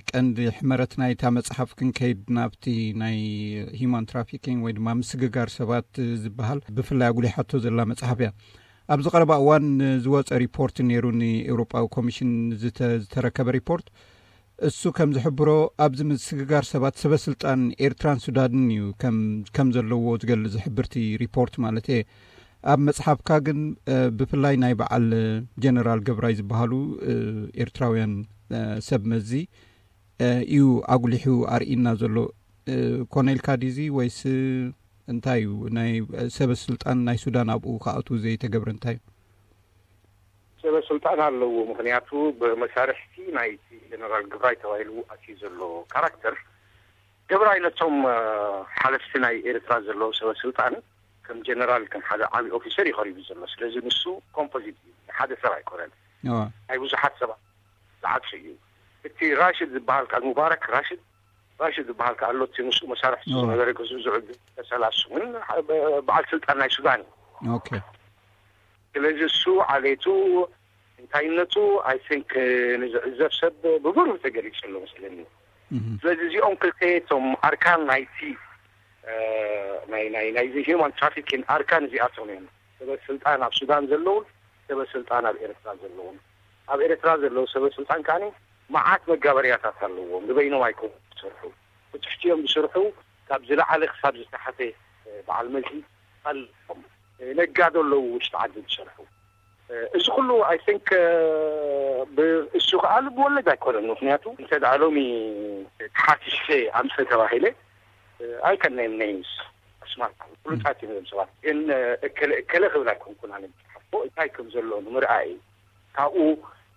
ቀንዲ ሕመረት ናይታ መጽሓፍ ክንከይድ፣ ናብቲ ናይ ሂማን ትራፊኪንግ ወይ ድማ ምስግጋር ሰባት፣ እ፣ ዝበሃል ብፍላይ ኣጉሊሓቶ ዘላ መጽሓፍ እያ። ኣብዚ ቀረባ እዋን ዝወጸ ሪፖርት ነይሩ፣ ንኤውሮጳዊ ኮሚሽን ዝተ-፣ ዝተረከበ ሪፖርት። እሱ ከም ዝሕብሮ፣ ኣብዚ ምስግጋር ሰባት ሰበ ስልጣን ኤርትራን ሱዳንን እዩ ከም፣ ከም ዘለዎ ዝገልጽ ዝሕብር እቲ ሪፖርት ማለት እየ። ኣብ መጽሓፍካ ግን፣ እ፣ ብፍላይ ናይ በዓል ጀነራል ገብራይ ዝበሃሉ፣ እ፣ ኤርትራውያን፣ እ፣ ሰብ መዚ፣ እ፣ እዩ ኣጉሊሑ ኣርኢና ዘሎ። እ፣ ኮነ ኢልካ ድዩ እዚ ወይስ እንታይ እዩ? ናይ ሰበ ስልጣን ናይ ሱዳን ኣብኡ ክኣትዉ ዘይተገብረ እንታይ እዩ? ሰበ ስልጣን ኣለዎ። ምኽንያቱ ብመሳርሕቲ ናይቲ ጀነራል ገብራይ ተባሂሉ ኣትዩ ዘሎ ካራክተር፣ ገብራይ ነቶም፣ እ፣ ሓለፍቲ ናይ ኤርትራ ዘለዉ ሰበ ስልጣን ከም ጀነራል፣ ከም ሓደ ዓቢ ኦፊሰር እዩ ቀሪቡ ዘሎ። ስለዚ ንሱ ኮምፖዚት እዩ፣ ሓደ ሰብ ኣይኮነን። እዋ። ናይ ብዙሓት ሰባት ዝዓጽ እዩ። እቲ ራሽድ ዝበሃል ከኣ፣ ሙባረክ ራሽድ፣ ራሽድ ዝበሃል ከኣ ኣሎ፣ እቲ ምስኡ መሳርሕቲ እዋ። ዝነበረ ገዝኡ ዝዕዱ ተሰላሱ እውን በዓል ስልጣን ናይ ሱዳን እዩ። ኦኬ። ስለዚ እሱ ዓሌቱ፣ እንታይነቱ፣ I think፣ ንዝዕዘብ ሰብ ብብሩህ ተገሊጹ ኣሎ መስለኒ። እህ። ስለዚ እዚኦም ክልተ እቶም ኣርካን ናይቲ፣ እ፣ ናይ፣ ናይ፣ ናይዚ ሂውማን ትራፊኪን ኣርካን እዚኣቶም እዮም። ሰበ ስልጣን ኣብ ሱዳን ዘለውን ሰበ ስልጣን ኣብ ኤርትራ ዘለውን። ኣብ ኤርትራ ዘለዉ ሰበ ስልጣን ከኣ መዓት መጋበርያታት ኣለዎም። ንበይኖም ኣይኮኑን ዝሰርሑ። ብትሕቲኦም ዝሰርሑ ካብ ዝለዓለ ክሳብ ዝተሓተ፣ እ፣ በዓል መዚ ኣለዎም። እ፣ ነጋዶ ኣለዉ ውሽጢ ዓዲ ዝሰርሑ። እዚ ኩሉ I think እሱ ከዓ ልብ ወለድ ኣይኮነን። ምክንያቱ እንተ ደኣ ሎሚ ተሓሲሰ ኣምፀ ተባሂለ I can name names ኣስማት ፍሉጣት እዮም እዞም ሰባት፣ ግን እከለ እከለ ክብል ኣይኮንኩን። ኣነ ዝፅሓፎ እንታይ ከም ዘሎ ንምርኣይ ካብኡ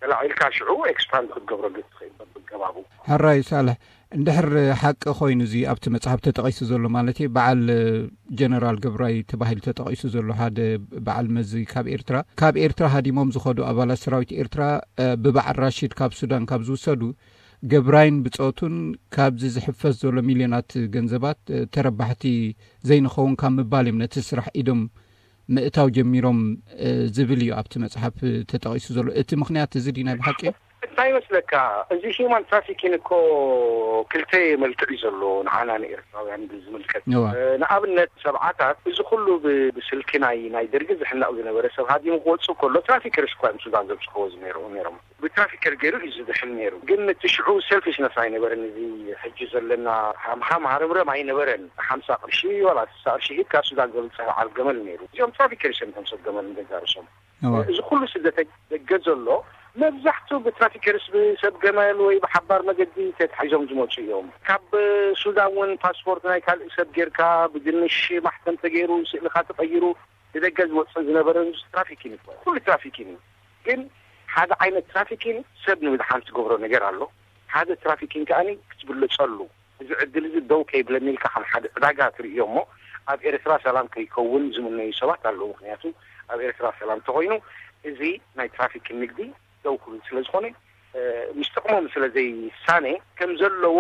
ተላዒልካ ሽዑ expand ክትገብረሉ ትኽእል በብገባቡ። ሕራይ ሳልሕ፣ እንድሕር ሓቂ ኮይኑ እዚ ኣብቲ መፅሓፍ ተጠቒሱ ዘሎ ማለት እዩ፣ በዓል ጀነራል ገብራይ ተባሂሉ ተጠቒሱ ዘሎ ሓደ በዓል መዚ ካብ ኤርትራ ካብ ኤርትራ ሃዲሞም ዝኸዱ ኣባላት ሰራዊት ኤርትራ ብበዓል ራሽድ ካብ ሱዳን ካብ ዝውሰዱ ገብራይን ብፆቱን ካብዚ ዝሕፈስ ዘሎ ሚልዮናት ገንዘባት ተረባሕቲ ዘይንኸውን ካብ ምባል እዮም ነቲ ስራሕ ኢዶም ምእታው ጀሚሮም ዝብል እዩ ኣብቲ መፅሓፍ ተጠቒሱ ዘሎ። እቲ ምኽንያት እዚ ድዩ ናይ ብሓቂ? እንታይ ይመስለካ፣ እዚ human trafficking እኮ ክልተ መልክዕ እዩ ዘሎ ንዓና ንኤርትራውያን ብዝምልከት። ንኣብነት ሰብዓታት እዚ ኩሉ ብስልኪ ናይ ናይ ደርጊ ዝሕነቕ ዝነበረ ሰብ ሃዲሙ ክወፅእ ከሎ traffickers እኳ እዮም ሱዳን ዘብፅሕዎ ዝነይሩ ነይሮም። ብትራፊከር ገይሩ እዩ ዝድሕን ነይሩ። ግን እቲ ሽዑ selfishness ኣይነበረን። እዚ ሕጂ ዘለና ሃምሃም ሃረምረም ኣይነበረን። ሓምሳ ቅርሺ ዋላ ስሳ ቅርሺ ሂብካ ሱዳን ዘብፅሕ በዓል ገመል ነይሩ። እዚኦም ትራፊከርስ እዮም እቶም ሰብ ገመል ንገዛ ርእሶም። እዚ ኩሉ ስደተኛ ደገ ዘሎ መብዛሕቱ ብትራፊከርስ ብሰብ ገመል ወይ ብሓባር መገዲ ተታሒዞም ዝመፁ እዮም። ካብ ሱዳን እውን ፓስፖርት ናይ ካልእ ሰብ ጌርካ ብድንሽ ማሕተም ተገይሩ ስእልኻ ተቐይሩ ንደገ ዝወፅእ ዝነበረ ትራፊኪን ይበሃል። ኩሉ ትራፊኪን እዩ። ግን ሓደ ዓይነት ትራፊኪን ሰብ ንምድሓን ትገብሮ ነገር ኣሎ። ሓደ ትራፊኪን ከኣ ክትብልፀሉ እዚ ዕድል እዚ ደው ከይብለኒ ኢልካ ከም ሓደ ዕዳጋ ትርእዮ እሞ ኣብ ኤርትራ ሰላም ከይከውን ዝምነዩ ሰባት ኣለዉ። ምክንያቱ ኣብ ኤርትራ ሰላም ተኮይኑ እዚ ናይ ትራፊኪን ንግዲ ደው ክብል ስለ ዝኾነ ምስ ጥቕሞም ስለ ዘይሳነ ከም ዘለዎ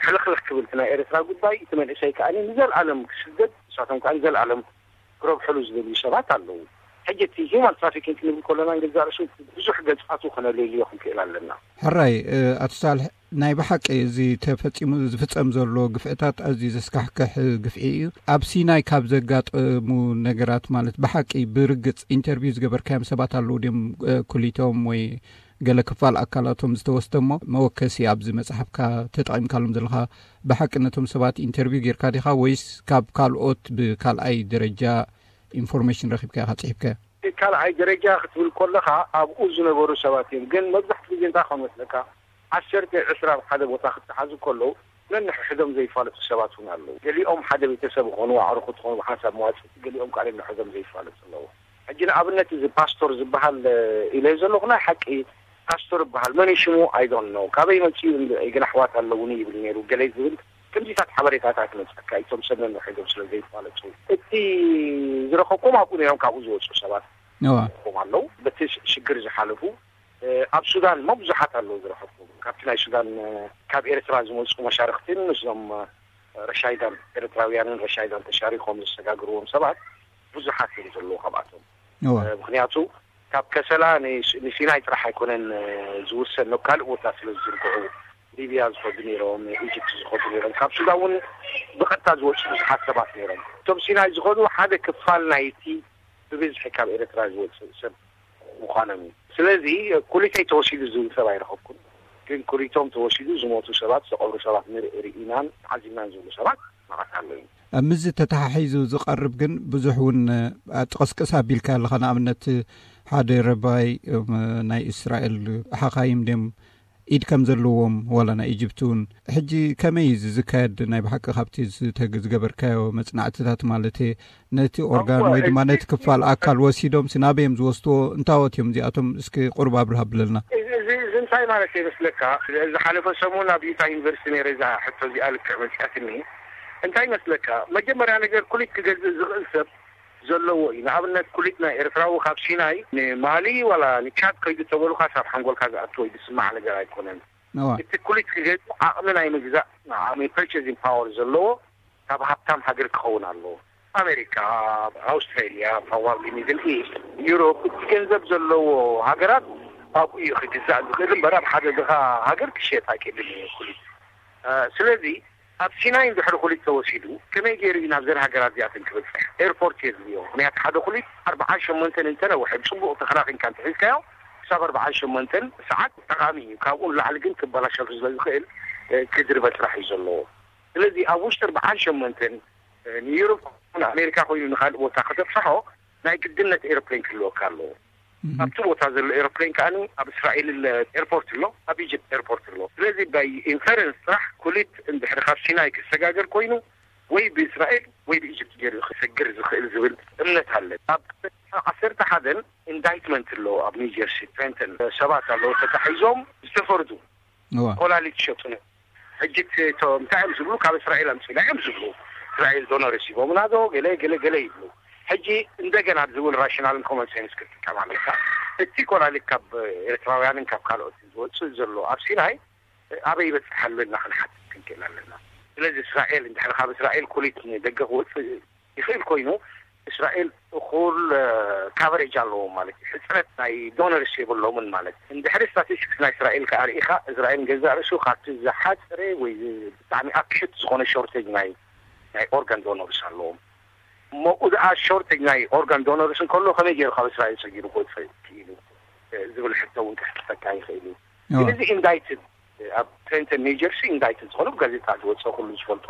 ሕልኽልኽ ክብል እቲ ናይ ኤርትራ ጉዳይ እቲ መንእሰይ ከኣ ንዘለኣለም ክስደድ ንሳቶም ከኣ ንዘለኣለም ክረብሕሉ ዝደልዩ ሰባት ኣለዉ። ሕጂ እቲ human trafficking ክንብል ከለና ንገዛእ ርእሱ ብዙሕ ገጻቱ ከነለልዮ ክንክእል ኣለና። ሕራይ ኣቶ ሳልሕ፣ ናይ ብሓቂ እዚ ተፈጺሙ ዝፍጸም ዘሎ ግፍዕታት ኣዝዩ ዘስካሕክሕ ግፍዒ እዩ። ኣብ ሲናይ ካብ ዘጋጠሙ ነገራት ማለት ብሓቂ ብርግጽ ኢንተርቪው ዝገበርካዮም ሰባት ኣለዉ ድዮም? ኩሊቶም ወይ ገለ ክፋል ኣካላቶም ዝተወስደ እሞ መወከሲ ኣብዚ መጽሓፍካ ተጠቒምካሎም ዘለኻ ብሓቂ ነቶም ሰባት ኢንተርቪው ጌርካ ዲኻ ወይስ ካብ ካልኦት ብካልኣይ ደረጃ ኢንፎርሜሽን ረኺብካ ኢኻ ጽሒፍካዮ? ካልኣይ ደረጃ ክትብል ከለኻ ኣብኡ ዝነበሩ ሰባት እዮም። ግን መብዛሕትኡ ግዜ እንታይ ክኸውን መስለካ፣ ዓሰርተ ዕስራ ኣብ ሓደ ቦታ ክተሓዙ ከለዉ ነንሕድሕዶም ዘይፋለጡ ሰባት እውን ኣለዉ። ገሊኦም ሓደ ቤተሰብ ይኾኑ፣ ኣዕሩኹ ትኾኑ፣ ብሓንሳብ መዋፅእቲ፣ ገሊኦም ከዓ ነንሕዶም ዘይፋለጡ ኣለዉ። ሕጂ ንኣብነት እዚ ፓስቶር ዝበሃል ኢለዮ ዘለኹ ናይ ሓቂ ፓስቶር ይበሃል። መን እዩ ሽሙ? I don't know። ካበይ መፂኡ? ግን ኣሕዋት ኣለውኒ ይብል ነይሩ ገለ ዝብል ከምዚታት ሓበሬታታት ይመፀካ። እቶም ሰብ ነንሕዶም ስለ ዘይፋለጡ እቲ ዝረኸብኩም ኣብኡ ነይሮም ካብኡ ዝወፁ ሰባት እዋ። ይረኸብኩም ኣለዉ። በቲ ሽግር ዝሓለፉ ኣብ ሱዳን እሞ ብዙሓት ኣለዉ ዝረኸብኩም። ካብቲ ናይ ሱዳን ካብ ኤርትራ ዝመፁ መሻርክትን ምስዞም ረሻይዳን ኤርትራውያንን ረሻይዳን ተሻሪኮም ዘሰጋግርዎም ሰባት ብዙሓት እዮም ዘለዉ ካብኣቶም። እዋ። ምክንያቱ ካብ ከሰላ ንሲናይ ጥራሕ ኣይኮነን ዝውሰን፣ ናብ ካልእ ቦታ ስለ ዝዝርግሑ፣ ሊብያ ዝኸዱ ነይሮም፣ ኢጅፕት ዝኸዱ ነይሮም፣ ካብ ሱዳን እውን ብቐጥታ ዝወፁ ብዙሓት ሰባት ነይሮም። እቶም ሲናይ ዝኸዱ ሓደ ክፋል ናይቲ ብብዝሒ ካብ ኤርትራ ዝወፅእ ሰብ ምዃኖም እዩ። ስለዚ ኩሊተይ ተወሲዱ ዝብል ሰብ ኣይረኸብኩን፣ ግን ኩሊቶም ተወሲዱ ዝሞቱ ሰባት፣ ዝተቐብሩ ሰባት ንርኢ ርኢናን ተዓዚብናን ዝብሉ ሰባት መዓት ኣለዉ። ምስዚ ተተሓሒዙ ዝቐርብ ግን ብዙሕ እውን ጥቕስቅስ ኣቢልካ ኣለኻ። ንኣብነት ሓደ ረባይ ናይ እስራኤል ሓኻይም ድዮም ኢድ ከም ዘለዎም ዋላ ናይ ኢጅፕቲ እውን። ሕጂ ከመይ እዩ እዚ ዝካየድ? ናይ ብሓቂ ካብቲ ዝተግ- ዝገበርካዮ መጽናዕትታት ማለት ነቲ ኦርጋን ወይ ድማ ነቲ ክፋል ኣካል ወሲዶም ሲ ናበይ እዮም ዝወስድዎ? እንታዎት እዮም እዚኣቶም? እስኪ ቁሩብ ኣብርህ ኣብለልና። እዚ እዚ እዚ እንታይ ማለት ይመስለካ? ዝሓለፈ ሰሙን ኣብ ዩታ ዩኒቨርሲቲ ነይረ እዛ ሕቶ እዚኣ ልክዕ መፅኣትኒ። እንታይ ይመስለካ? መጀመርያ ነገር ኩሊት ክገዝእ ዝኽእል ሰብ ዘለዎ እዩ። ንኣብነት ኩሊት ናይ ኤርትራዊ ካብ ሲናይ ንማሊ ዋላ ንቻድ ከይዱ ተበሉካ ሳብ ሓንጎልካ ዝኣቱ ወይ ዝስማዕ ነገር ኣይኮነን። እዋ። እቲ ኩሊት ክገዝእ ዓቕሚ ናይ ምግዛእ ዓቕሚ ፐርቸዚንግ ፓወር ዘለዎ ካብ ሃብታም ሃገር ክኸውን ኣለዎ። ኣሜሪካ፣ ኣውስትራሊያ፣ probably ሚድል ኢስት፣ ዩሮፕ እቲ ገንዘብ ዘለዎ ሃገራት ኣብኡ እዩ ክግዛእ ዝኽእል እምበር ኣብ ሓደ ድኻ ሃገር ክሸየጥ ኣይክእልን እዩ ኩሊት። ስለዚ ኣብ ሲናይ እንድሕሪ ኩሊት ተወሲዱ ከመይ ገይሩ እዩ ናብዘን ሃገራት እዚኣተን ክበፅሕ? ኤርፖርት የድልዮ። ምክንያቱ ሓደ ኩሊት ኣርብዓን ሸሞንተን እንተነውሐ ብፅቡቕ ተኸናኺንካ እንተሒዝካዮ ክሳብ ኣርብዓን ሸሞንተን ሰዓት ጠቓሚ እዩ። ካብኡ ንላዕሊ ግን ክበላሸሉ ስለ ዝኽእል ክድርበ ጥራሕ እዩ ዘለዎ። ስለዚ ኣብ ውሽጢ ኣርብዓን ሸሞንተን ንዩሮፕ ንኣሜሪካ ኮይኑ ንካልእ ቦታ ከተብፅሖ ናይ ግድነት ኤሮፕሌን ክህልወካ ኣለዎ። ኣብቲ ቦታ ዘሎ ኤሮፕሌን ከኣ ኣብ እስራኤል ኤርፖርት ኣሎ፣ ኣብ ኢጅፕት ኤርፖርት ኣሎ። ስለዚ ባይ ኢንፈረንስ ጥራሕ ኩሊት እንድሕሪ ካብ ሲናይ ክሰጋገር ኮይኑ ወይ ብእስራኤል ወይ ብኢጅፕት ገይሩ ክሰግር ዝኽእል ዝብል እምነት ኣለ። ኣብ ዓሰርተ ሓደን ኢንዳይትመንት ኣሎ ኣብ ኒውጀርሲ ትሬንተን ሰባት ኣለዉ ተታሒዞም ዝተፈርዱ ኮላሊት ሸጡ። ሕጂ እቶም እንታይ እዮም ዝብሉ? ካብ እስራኤል ኣምፅእና እዮም ዝብሉ። እስራኤል ዶነርስ ሂቦምና ዶ ገለ ገለ ገለ ይብሉ። ሕጂ እንደገና ዝብል ራሽናልን ኮመን ሴንስ ክትጥቀም ኣለካ። እቲ ኮላሊት ካብ ኤርትራውያንን ካብ ካልኦት ዝወፅእ ዘሎ ኣብ ሲናይ ኣበይ ይበፅሕ ኣሎ ኢልና ክንሓትት ክንክእል ኣለና። ስለዚ እስራኤል እንድሕር ካብ እስራኤል ኩሊት ንደገ ክወፅእ ይኽእል ኮይኑ እስራኤል እኹል ካቨሬጅ ኣለዎም ማለት እዩ። ሕፅረት ናይ ዶነርስ የብሎምን ማለት እዩ። እንድሕሪ ስታቲስቲክስ ናይ እስራኤል ከኣ ርኢኻ እስራኤል ገዛእ ርእሱ ካብቲ ዝሓፀረ ወይ ብጣዕሚ ኣክሽት ዝኾነ ሾርቴጅ ናይ ናይ ኦርጋን ዶነርስ ኣለዎም። እሞ ደኣ ሾርቴጅ ናይ ኦርጋን ዶነርስ እንከሎ ከመይ ገይሩ ካብ እስራኤል ሰጊሩ ክወፅእ ክኢሉ ዝብል ሕቶ እውን ክሕተካ ይኽእል እዩ። ስለዚ ኢንዳይትድ ኣብ ትሬንተን ኒውጀርሲ ኢንዳይትድ ዝኾኑ ብጋዜጣ ዝወፀ ኩሉ ዝፈልጦ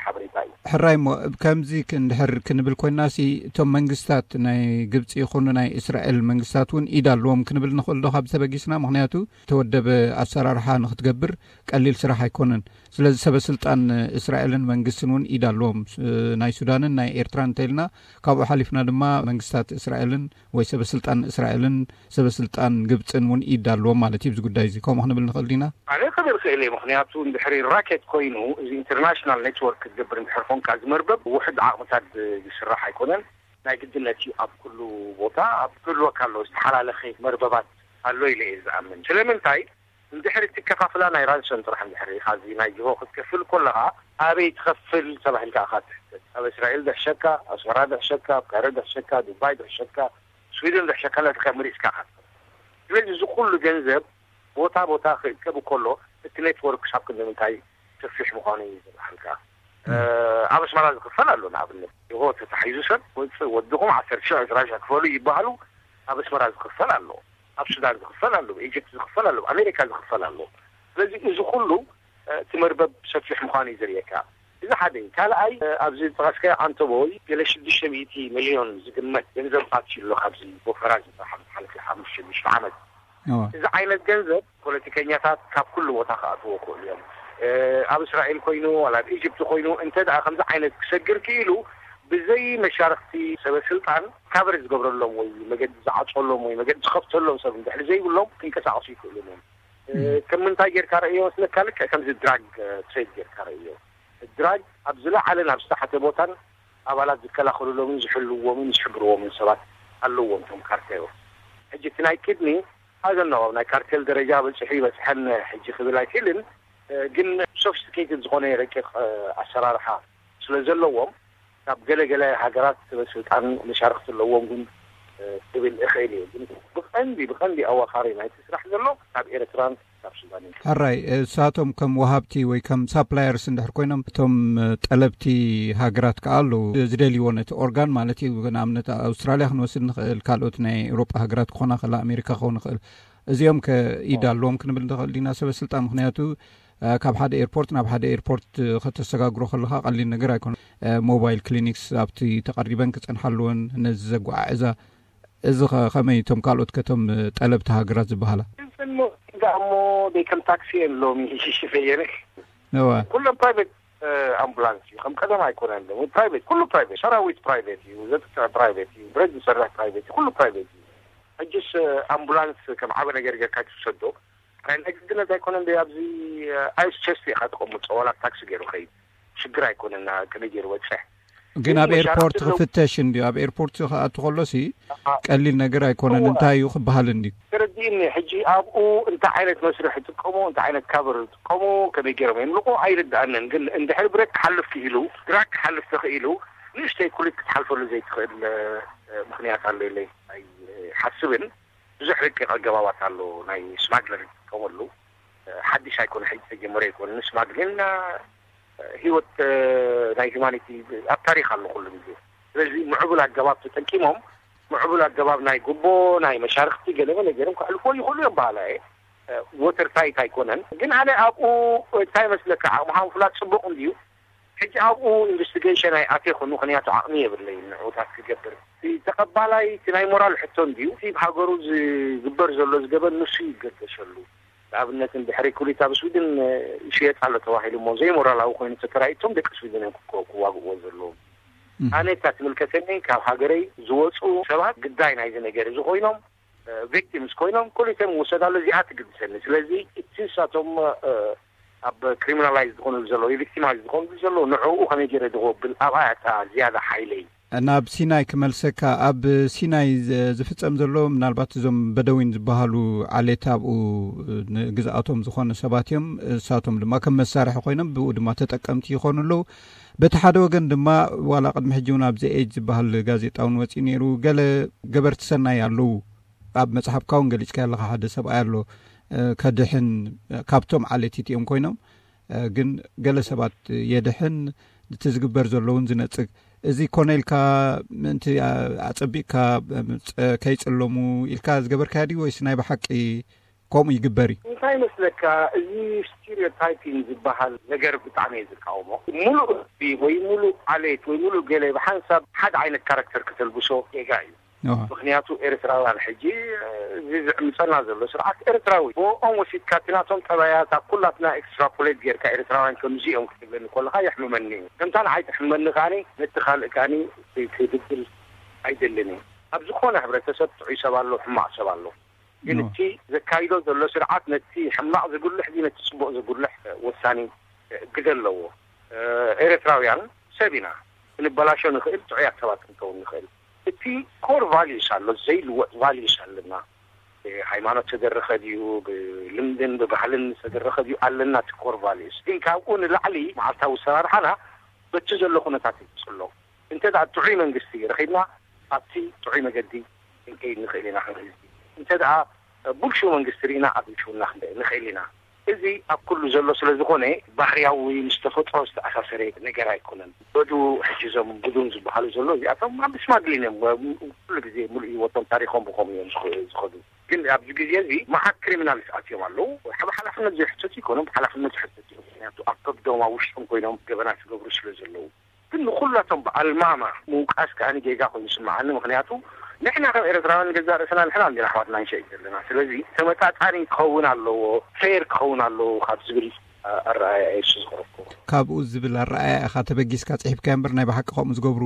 ሓበሬታ እዩ። ሕራይ እሞ ከምዚ እንድሕር ክንብል ኮይና ሲ እቶም መንግስታት ናይ ግብፂ ይኹኑ ናይ እስራኤል መንግስታት እውን ኢድ ኣለዎም ክንብል ንኽእል ዶ ካብ ተበጊስና? ምክንያቱ ተወደበ ኣሰራርሓ ንክትገብር ቀሊል ስራሕ ኣይኮነን። ስለዚ ሰበ ስልጣን እስራኤልን መንግስትን እውን ኢድ ኣለዎም። ስ- ናይ ሱዳንን ናይ ኤርትራን እንተኢልና ካብኡ ሓሊፍና ድማ መንግስታት እስራኤልን ወይ ሰበ ስልጣን እስራኤልን ሰበ ስልጣን ግብፅን እውን ኢድ ኣለዎም ማለት እዩ። ኣብዚ ጉዳይ እዚ ከምኡ ክንብል ንኽእል ዲና? ኣነ ክብል ክእል እየ። ምክንያቱ እንድሕሪ ራኬት ኮይኑ እዚ ኢንተርናሽናል ኔትወርክ ክትገብር እንድሕር ኮንካ እዚ መርበብ ውሕድ ዓቕምታት ዝስራሕ ኣይኮነን። ናይ ግድነት እዩ ኣብ ኩሉ ቦታ ኣብ ክህልወካ ኣለዎ ዝተሓላለኸ መርበባት ኣሎ ኢለ እየ ዝኣምን። ስለምንታይ እንድሕሪ እቲ ከፋፍላ ናይ ራንሰም ጥራሕ እንድሕሪ ኢኻ እዚ ናይ ጅሆ ክትከፍል ከለኻ ኣበይ ትኸፍል ተባሂልካ ኢኻ ትሕተት። ኣብ እስራኤል ድሕሸካ፣ ኣስመራ ድሕሸካ፣ ኣብ ካይሮ ድሕሸካ፣ ዱባይ ድሕሸካ፣ ስዊድን ድሕሸካ እናተካ መሪስካ ኢኻ ትኸፍል። ስለዚ እዚ ኩሉ ገንዘብ ቦታ ቦታ ክእከብ ከሎ እቲ ኔትወርክ ክሳብ ክንዲ ምንታይ ሰፊሕ ምዃኑ እዩ ዘብርሃልካ። ኣብ ኣስመራ ዝኽፈል ኣሎ ንኣብነት ጅሆ ተታሒዙ ሰብ ወፅእ ወድኹም ዓሰርተ ሽሕ ዕስራ ሽሕ ክፈሉ ይበሃሉ። ኣብ ኣስመራ ዝኽፈል ኣሎ፣ ኣብ ሱዳን ዝኽፈል ኣሎ፣ ኢጅፕት ዝኽፈል ኣሎ፣ ኣሜሪካ ዝኽፈል ኣሎ። ስለዚ እዚ ኩሉ እቲ መርበብ ሰፊሕ ምዃኑ እዩ ዘርእየካ። እዚ ሓደ እዩ። ካልኣይ ኣብዚ ዝጠቐስካዮ ኣንተቦይ ገለ ሽዱሽተ ሚእቲ ሚልዮን ዝግመት ገንዘብ ኣትዩ ኣሎ ካብዚ ወፈራ ዝበሃል ዝሓለፈ ሓሙሽተ ሽዱሽተ ዓመት። እዚ ዓይነት ገንዘብ ፖለቲከኛታት ካብ ኩሉ ቦታ ክኣትዎ ክእሉ እዮም። ኣብ እስራኤል ኮይኑ ዋላ ኣብ ኢጅፕት ኮይኑ እንተ ደኣ ከምዚ ዓይነት ክሰግር ክኢሉ ብዘይ መሻርክቲ ሰበ ስልጣን ካቨር ዝገብረሎም ወይ መገዲ ዝዓፀሎም ወይ መገዲ ዝኸፍተሎም ሰብ እንድሕር ዘይብሎም ክንቀሳቀሱ ይክእሉ እዮም። ከም ምንታይ ጌርካ ረእዮ መስለካ? ልክዕ ከምዚ ድራግ ትሬድ ጌርካ ረእዮ። ድራግ ኣብ ዝለዓለን ኣብ ዝተሓተ ቦታን ኣባላት ዝከላኸሉሎምን ዝሕልውዎምን ዝሕብርዎምን ሰባት ኣለዎም። እቶም ካርቴል ሕጂ እቲ ናይ ኪድኒ ኣዘነዎም ናይ ካርቴል ደረጃ በፂሑ ይበፅሐን ሕጂ ክብል ኣይክእልን፣ ግን ሶፊስቲኬትድ ዝኾነ ረቂቕ ኣሰራርሓ ስለ ዘለዎም ካብ ገለገለ ሃገራት ስበ ስልጣን መሻርክቲ ኣለዎም ግን ክብል እኽእል እየ። ግን ብቐንዲ ብቐንዲ ኣዋኻሪ ናይቲ ስራሕ ዘሎ ካብ ኤርትራን ካብ ሱዳንን። ሕራይ እሳቶም ከም ወሃብቲ ወይ ከም ሳፕላየርስ እንድሕር ኮይኖም እቶም ጠለብቲ ሃገራት ከኣ ኣለዉ ዝደልይዎ ነቲ ኦርጋን ማለት እዩ። ንኣብነት ኣውስትራልያ ክንወስድ ንኽእል፣ ካልኦት ናይ ኤውሮጳ ሃገራት ክኾና ክኽእላ ኣሜሪካ ክኸውን ይኽእል። እዚኦም ከ ኢድ ኣለዎም ክንብል ንኽእል ዲና ሰበ ስልጣን? ምክንያቱ ካብ ሓደ ኤርፖርት ናብ ሓደ ኤርፖርት ከተሰጋግሮ ከለካ ቀሊል ነገር ኣይኮነ። ሞባይል ክሊኒክስ ኣብቲ ተቐሪበን ክጸንሓ ኣለወን ነዚ ዘጓዓዕዛ። እዚ ከ ከመይ እቶም ካልኦት ከቶም ጠለብቲ ሃገራት ዝበሃላ? እሞ ደይ ከም ታክሲ እየን ሎሚ ሽፈየነ እዋ ኩሎም ፕራይቬት ኣምቡላንስ እዩ። ከም ቀደም ኣይኮነን። ፕራይቬት ኩሉ ፕራይቬት፣ ሰራዊት ፕራይቬት እዩ፣ ዘጥቅዕ ፕራይቬት እዩ፣ ብረት ዝሰርሕ ፕራይቬት እዩ፣ ኩሉ ፕራይቬት እዩ። ሕጅስ ኣምቡላንስ ከም ዓበ ነገር ጌርካ ትውሰዶ ናይ ግድነት ኣይኮነን። ዶ ኣብዚ ኣይስ ቸስት ኢኻ ተቐምጦ ዋላ ታክሲ ገይሩ ኸይድ ሽግር ኣይኮነና። ከመይ ገይሩ በፅሕ ግን ኣብ ኤርፖርት ክፍተሽ እንዲ ኣብ ኤርፖርት ክኣቱ ከሎሲ ቀሊል ነገር ኣይኮነን። እንታይ እዩ ክበሃል እንዲ ተረዲእኒ። ሕጂ ኣብኡ እንታይ ዓይነት መስርሕ ይጥቀሙ፣ እንታይ ዓይነት ካቨር ይጥቀሙ፣ ከመይ ገይሮም የምልቁ ኣይርድኣንን። ግን እንድሕር ብረት ክሓልፍ ክኢሉ ድራግ ክሓልፍ ተኽኢሉ ንእሽተይ ኩሊት ክትሓልፈሉ ዘይትኽእል ምክንያት ኣሎ ኢለ ኣይሓስብን። ብዙሕ ረቂቕ ኣገባባት ኣሎ ናይ ስማግለር ዝጥቀመሉ። ሓድሽ ኣይኮነ ሕጂ ተጀመረ ኣይኮነ። ስማግሊንና ህይወት ናይ ሂማኒቲ ኣብ ታሪክ ኣሎ ኩሉ ግዜ። ስለዚ ምዕቡል ኣገባብ ተጠቂሞም ምዕቡል ኣገባብ ናይ ጉቦ ናይ መሻርክቲ ገለመለ ገይሮም ከሕልፎ ይኽእሉ እዮም በሃላ እየ። ወተር ታይት ኣይኮነን። ግን ኣነ ኣብኡ እንታይ መስለካ ዓቕምኻ ምፍላጥ ፅቡቕ እንድዩ። ሕጂ ኣብኡ ኢንቨስቲጌሽን ኣይኣትየኹን፣ ምኽንያቱ ዓቕሚ የብለይን ንዕኡታት ክገብር። እቲ ተቐባላይ እቲ ናይ ሞራል ሕቶ እንድዩ፣ እቲ ብሃገሩ ዝግበር ዘሎ ዝገበን ንሱ ይገደሰሉ። ንኣብነት እንድሕሪ ኩሊት ኣብ ስዊድን ይሽየጥ ኣሎ ተባሂሉ እሞ ዘይሞራላዊ ኮይኑ ተተራእዩ እቶም ደቂ ስዊድን እዮም ክኮ- ክዋግእዎ ዘለዎም። ኣነ እታ ትምልከተኒ ካብ ሃገረይ ዝወፁ ሰባት ግዳይ ናይዚ ነገር እዚ ኮይኖም ቪክቲምስ ኮይኖም ኩሊቶም ይወሰድ ኣሎ፣ እዚኣ ትግድሰኒ። ስለዚ እቲ ንሳቶም ኣብ ክሪሚናላይዝ ዝኾኑ ዘለዉ ቪክቲማይዝ ዝኾኑ ዘለዉ ንዕኡ ከመይ ገይረ ድጎብል ኣብኣ እታ ዝያዳ ሓይለይ። ናብ ሲናይ ክመልሰካ፣ ኣብ ሲናይ ዝ- ዝፍጸም ዘሎ ምናልባት እዞም በደዊን ዝበሃሉ ዓሌት ኣብኡ ንግዝኣቶም ዝኾነ ሰባት እዮም። እሳቶም ድማ ከም መሳርሒ ኮይኖም ብኡ ድማ ተጠቀምቲ ይኾኑ ኣለዉ። በቲ ሓደ ወገን ድማ ዋላ ቅድሚ ሕጂ እውን ኣብዚ ኤጅ ዝበሃል ጋዜጣ እውን ወፂኡ ነይሩ። ገለ ገበርቲ ሰናይ ኣለዉ። ኣብ መጽሓፍካ እውን ገሊጽካ ኣለኻ፣ ሓደ ሰብኣይ ኣሎ ከድሕን፣ ካብቶም ዓሌት እቲኦም ኮይኖም ግን ገለ ሰባት የድሕን፣ እቲ ዝግበር ዘሎ እውን ዝነጽግ። እዚ ኮነ ኢልካ ምእንቲ ኣጸቢቕካ ከይጽለሙ ኢልካ ዝገበርካዮ ድዩ ወይስ ናይ ብሓቂ ከምኡ ይግበር እዩ? እንታይ ይመስለካ፣ እዚ ስቲሪዮታይፒንግ ዝበሃል ነገር ብጣዕሚ እየ ዝቃወሞ። ሙሉእ ህዝቢ ወይ ሙሉእ ዓሌት ወይ ሙሉእ ገለ ብሓንሳብ ሓደ ዓይነት ካራክተር ከተልብሶ ጌጋ እዩ። ምክንያቱ ኤርትራውያን ሕጂ እዚ ዝዕምፀና ዘሎ ስርዓት ኤርትራዊ ብኦም ወሲድካ እቲ ናቶም ጠባያት ኣብ ኩላትና ኤክስትራፖሌት ጌርካ ኤርትራውያን ከምዚ እዮም ክትብለኒ ከለካ የሕምመኒ እዩ። ከምታ ንዓይ ትሕመኒ ከዓኒ ነቲ ካልእ ከዓኒ ክድግል ኣይደልን እዩ። ኣብ ዝኾነ ሕብረተሰብ ጥዑይ ሰብ ኣሎ፣ ሕማቕ ሰብ ኣሎ። ግን እቲ ዘካይዶ ዘሎ ስርዓት ነቲ ሕማቕ ዝጉልሕ እዚ ነቲ ፅቡቕ ዝጉልሕ ወሳኒ ግደ ኣለዎ። ኤርትራውያን ሰብ ኢና፣ ክንበላሾ ንኽእል፣ ጥዑያት ሰባት ክንከውን ንኽእል። እቲ ኮር ቫልዩስ ኣሎ፣ ዘይልወጥ ቫልዩስ ኣለና። ሃይማኖት ዝተደረኸ ድዩ፣ ብልምድን ብባህልን ዝተደረኸ ድዩ ኣለና። እቲ ኮር ቫልዩስ ግን ካብኡ ንላዕሊ መዓልታዊ ኣሰራርሓና በቲ ዘሎ ኩነታት ይፅሎ። እንተ ደኣ ጥዑይ መንግስቲ ረኺብና ኣብቲ ጥዑይ መገዲ ክንከይድ ንኽእል ኢና። ከም ህዝቢ እንተ ደኣ ብልሹው መንግስቲ ርኢና ኣብ ብልሽውና ክንደይ ንኽእል ኢና። እዚ ኣብ ኩሉ ዘሎ ስለ ዝኾነ ባህርያዊ ምስ ተፈጥሮ ዝተኣሳሰረ ነገር ኣይኮነን። በዱ ሕጂ እዞም ብዱን ዝበሃሉ ዘሎ እዚኣቶም ኣብ ስማግሊን እዮም። ኩሉ ግዜ ሙሉእ ህይወቶም ታሪኾም ብኸምኡ እዮም ዝኸ- ዝኸዱ። ግን ኣብዚ ግዜ እዚ መዓት ክሪሚናልስ ኣትዮም ኣለዉ። ብሓላፍነት ዘይሕተቱ ይኮኖም፣ ብሓላፍነት ዝሕተቱ እዮም። ምክንያቱ ኣብ ከብዶም ኣብ ውሽጦም ኮይኖም ገበናት ዝገብሩ ስለ ዘለዉ ግን ንኩላቶም ብኣልማማ ምውቃስ ከኣ ጌጋ ኮይኑ ይስምዓኒ። ምክንያቱ ንሕና ከም ኤርትራውያን ገዛእ ርእስና ንሕና እንዲና ኣሕዋትና ንሸይጥ ዘለና። ስለዚ ተመጣጣኒ ክኸውን ኣለዎ፣ ፌር ክኸውን ኣለዎ ካብ ዝብል ኣረኣእያ እየ እሱ ዝቐረብኩ። ካብኡ ዝብል ኣረኣእያ ኢኻ ተበጊስካ ጽሒፍካዮ እምበር ናይ ብሓቂ ከምኡ ዝገብሩ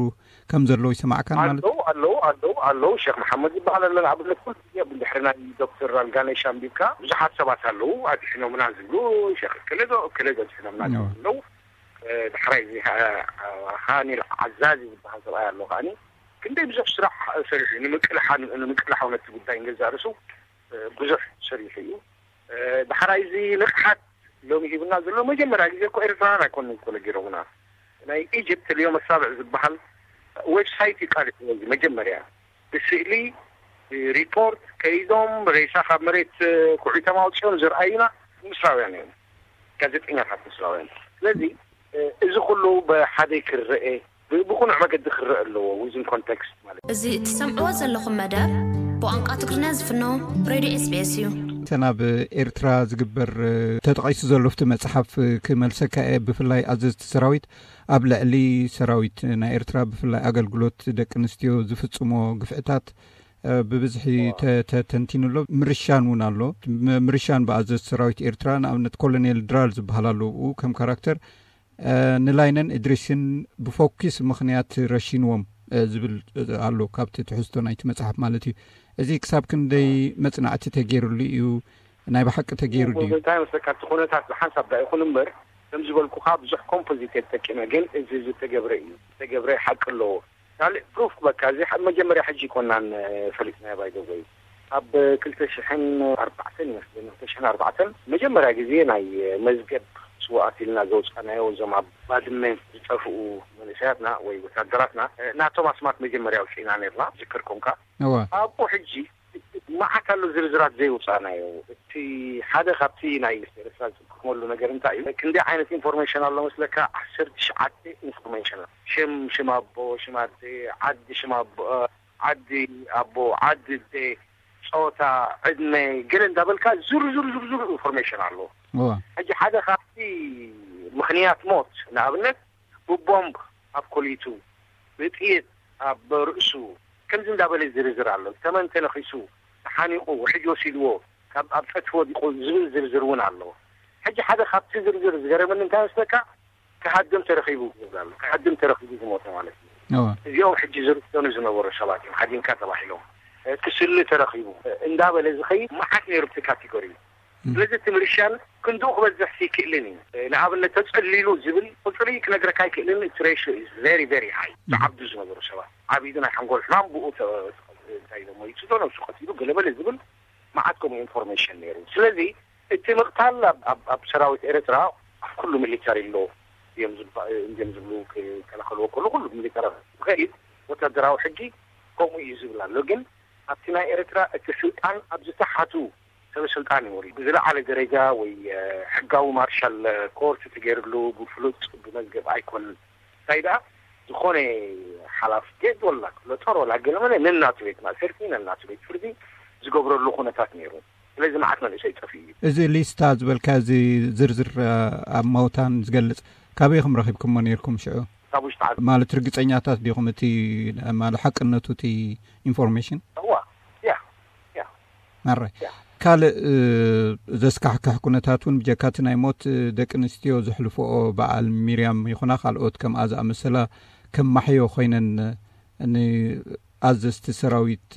ከም ዘለዉ ይስማዕካን ማለት ኣለዉ ኣለዉ ኣለዉ ኣለዉ። ሸክ መሓመድ ዝበሃል ኣሎ ንኣብነት ኩሉ ግዜ ብድሕሪ ናይ ዶክተር ኣልጋነሽ ኣንቢብካ ብዙሓት ሰባት ኣለዉ ኣድሒኖምና ዝብሉ፣ ሸክ እከለ ዶ እከለ ዶ ኣድሒኖምና ዝብሉ ኣለዉ። ዳሕራይ እዚ ሃኒል ዓዛዚ ዝበሃል ሰብኣይ ኣሎ ከዓኒ ክንደይ ብዙሕ ስራሕ ሰሪሑ እዩ ንምቅልሓ ንምቅልሓው ነቲ ጉዳይ ንገዛእ ርእሱ ብዙሕ ሰሪሑ እዩ። ዳሕራይ እዚ ንቕሓት ሎሚ ሂብና ዘሎ መጀመርያ ግዜ እኮ ኤርትራውያን ኣይኮኑን እኮ ነጊሮምና። ናይ ኢጅፕት ልዮም ኣሳብዕ ዝበሃል ዌብሳይት እዩ ቃል እዚ መጀመርያ ብስእሊ ሪፖርት ከይዶም ሬሳ ካብ መሬት ኩዒቶም ኣውፅኦም ዝርኣዩና ምስራውያን እዮም፣ ጋዜጠኛታት ምስራውያን። ስለዚ እዚ ኩሉ ብሓደ ክረአ ብቁኑዕ መገዲ ክረአ ኣለዎ። ዊዝን ኮንቴክስት ማለት እዩ። እዚ እትሰምዕዎ ዘለኹም መደብ ብቋንቋ ትግርኛ ዝፍኖ ሬድዮ ኤስቢኤስ እዩ። እተን ኣብ ኤርትራ ዝግበር ተጠቒሱ ዘሎ ኣብቲ መጽሓፍ ክመልሰካ እየ። ብፍላይ ኣዘዝቲ ሰራዊት ኣብ ልዕሊ ሰራዊት ናይ ኤርትራ ብፍላይ ኣገልግሎት ደቂ ኣንስትዮ ዝፍጽሞ ግፍዕታት ብብዝሒ ተተንቲኑ ኣሎ። ምርሻን እውን ኣሎ። ምርሻን ብኣዘዝቲ ሰራዊት ኤርትራ ንኣብነት ኮሎኔል ድራር ዝበሃል ኣሎ ብኡ ከም ካራክተር ንላይነን እድሪስን ብፎኪስ ምኽንያት ረሺንዎም ዝብል ኣሎ ካብቲ ትሕዝቶ ናይቲ መጽሓፍ ማለት እዩ። እዚ ክሳብ ክንደይ መጽናዕቲ ተገይሩሉ እዩ? ናይ ብሓቂ ተገይሩ ድዩ? እንታይ መስለካ እቲ ኩነታት ብሓንሳብ ዳ ይኹን እምበር ከም ዝበልኩኻ ብዙሕ ኮምፖዚት ተጠቂመ ግን እዚ ዝተገብረ እዩ። ዝተገብረ ሓቂ ኣለዎ። ካልእ ፕሩፍ ክበካ እዚ መጀመርያ ሕጂ ይኮናን ፈሊጥናዮ ባይደወይ ኣብ ክልተ ሽሕን ኣርባዕተን ይመስለኒ ክልተ ሽሕን ኣርባዕተን መጀመርያ ግዜ ናይ መዝገብ ስውኣት ኢልና ዘውፃናዮ እዞም ኣብ ባድመ ዝጠፍኡ መንእሰያትና ወይ ወታደራትና ናቶም ኣስማት መጀመርያ ኣውፂእና ነርና ዝከርኩምካ ኣብኡ ሕጂ መዓት ኣሎ ዝርዝራት ዘይውፃናዮ እቲ ሓደ ካብቲ ናይ ኤርትራ ዝጥቅመሉ ነገር እንታይ እዩ ክንደይ ዓይነት ኢንፎርሜሽን ኣሎ መስለካ ዓሰርተ ትሽዓተ ኢንፎርሜሽን ሽም ሽም ኣቦ ሽም ኣደ ዓዲ ሽም ኣቦ ዓዲ ኣቦ ዓዲ ኣደ ፆታ ዕድመ ገለ እንዳበልካ ዝርዝር ዝርዝር ኢንፎርሜሽን ኣሎ ሕጂ ሓደ ካብቲ ምክንያት ሞት ንኣብነት ብቦምብ ኣብ ኮሊቱ፣ ብጥይት ኣብ ርእሱ፣ ከምዚ እንዳበለ ዝርዝር ኣሎ። ተመን ተነኺሱ፣ ተሓኒቑ፣ ውሕጅ ወሲድዎ፣ ካብ ኣብ ጸድፊ ወዲቑ ዝብል ዝርዝር እውን ኣሎ። ሕጂ ሓደ ካብቲ ዝርዝር ዝገረመኒ እንታይ መስለካ? ክሃድም ተረኺቡ ዝብል ኣሎ። ክሃድም ተረኺቡ ዝሞተ ማለት እዩ። እዚኦም ሕጂ ዝርሰኑ ዝነበሩ ሰባት እዮም ሃዲምካ ተባሂሎም። ክስሊ ተረኺቡ እንዳበለ ዝኸይድ መዓት ነይሩ እቲ ካቴጎሪ። ስለዚ እቲ ምርሻን ክንድኡ ክበዝሕ ይክእልን እዩ። ንኣብነት ተጸሊሉ ዝብል ቁጽሪ ክነግረካ ኣይክእልን። እቲ ሬሽዮ is very very high። ዝዓብዱ ዝነበሩ ሰባት ዓቢዱ ናይ ሓንጎል ሕማም ብኡ ተ- እንታይ ኢሎም ወይ ጽዶ ነብሱ ቀቲሉ ገለበለ ዝብል መዓት ከምኡ ኢንፎርሜሽን ነይሩ። ስለዚ እቲ ምቕታል ኣብ- ኣብ ኣብ ሰራዊት ኤርትራ ኣብ ኩሉ ሚሊተሪ ኣሎ እዮም ዝባ- እዮም ዝብሉ ክከላኸልዎ ከሎ ኩሉ ሚሊተሪ ዝኸይድ ወታደራዊ ሕጊ ከምኡ እዩ ዝብል ኣሎ። ግን ኣብቲ ናይ ኤርትራ እቲ ስልጣን ኣብ ዝተሓቱ ሰበ ስልጣን እዩ ወሪዱ። ብዝለዓለ ደረጃ ወይ ሕጋዊ ማርሻል ኮርት ተገይርሉ ብፍሉጥ ብመዝገብ ኣይኮን። እንታይ ደኣ ዝኾነ ሓላፊ ጌት ወላ ክፍለ ጦር ወላ ገለመለ ነናቱ ቤት ማእሰርቲ ነናቱ ቤት ፍርዲ ዝገብረሉ ኩነታት ነይሩ። ስለዚ መዓት መንእሰይ ጠፊኡ እዩ። እዚ ሊስታ ዝበልካ እዚ ዝርዝር ኣብ መውታን ዝገልጽ ካበይ ኢኹም ረኺብኩሞ ነይርኩም ሽዑ? ካብ ውሽጢ ዓዲ። ማለት ርግጸኛታት ዲኹም እቲ ማለት ሓቅነቱ እቲ ኢንፎርሜሽን? እዋ ያ ያ ማራይ ካልእ ዘስካሕክሕ ኩነታት እውን ብጀካቲ ናይ ሞት ደቂ ኣንስትዮ ዘሕልፍኦ በዓል ሚርያም ይኹና ካልኦት ከምኣ ዝኣመሰላ ከም ማሕዮ ኮይነን ንኣዘዝቲ ሰራዊት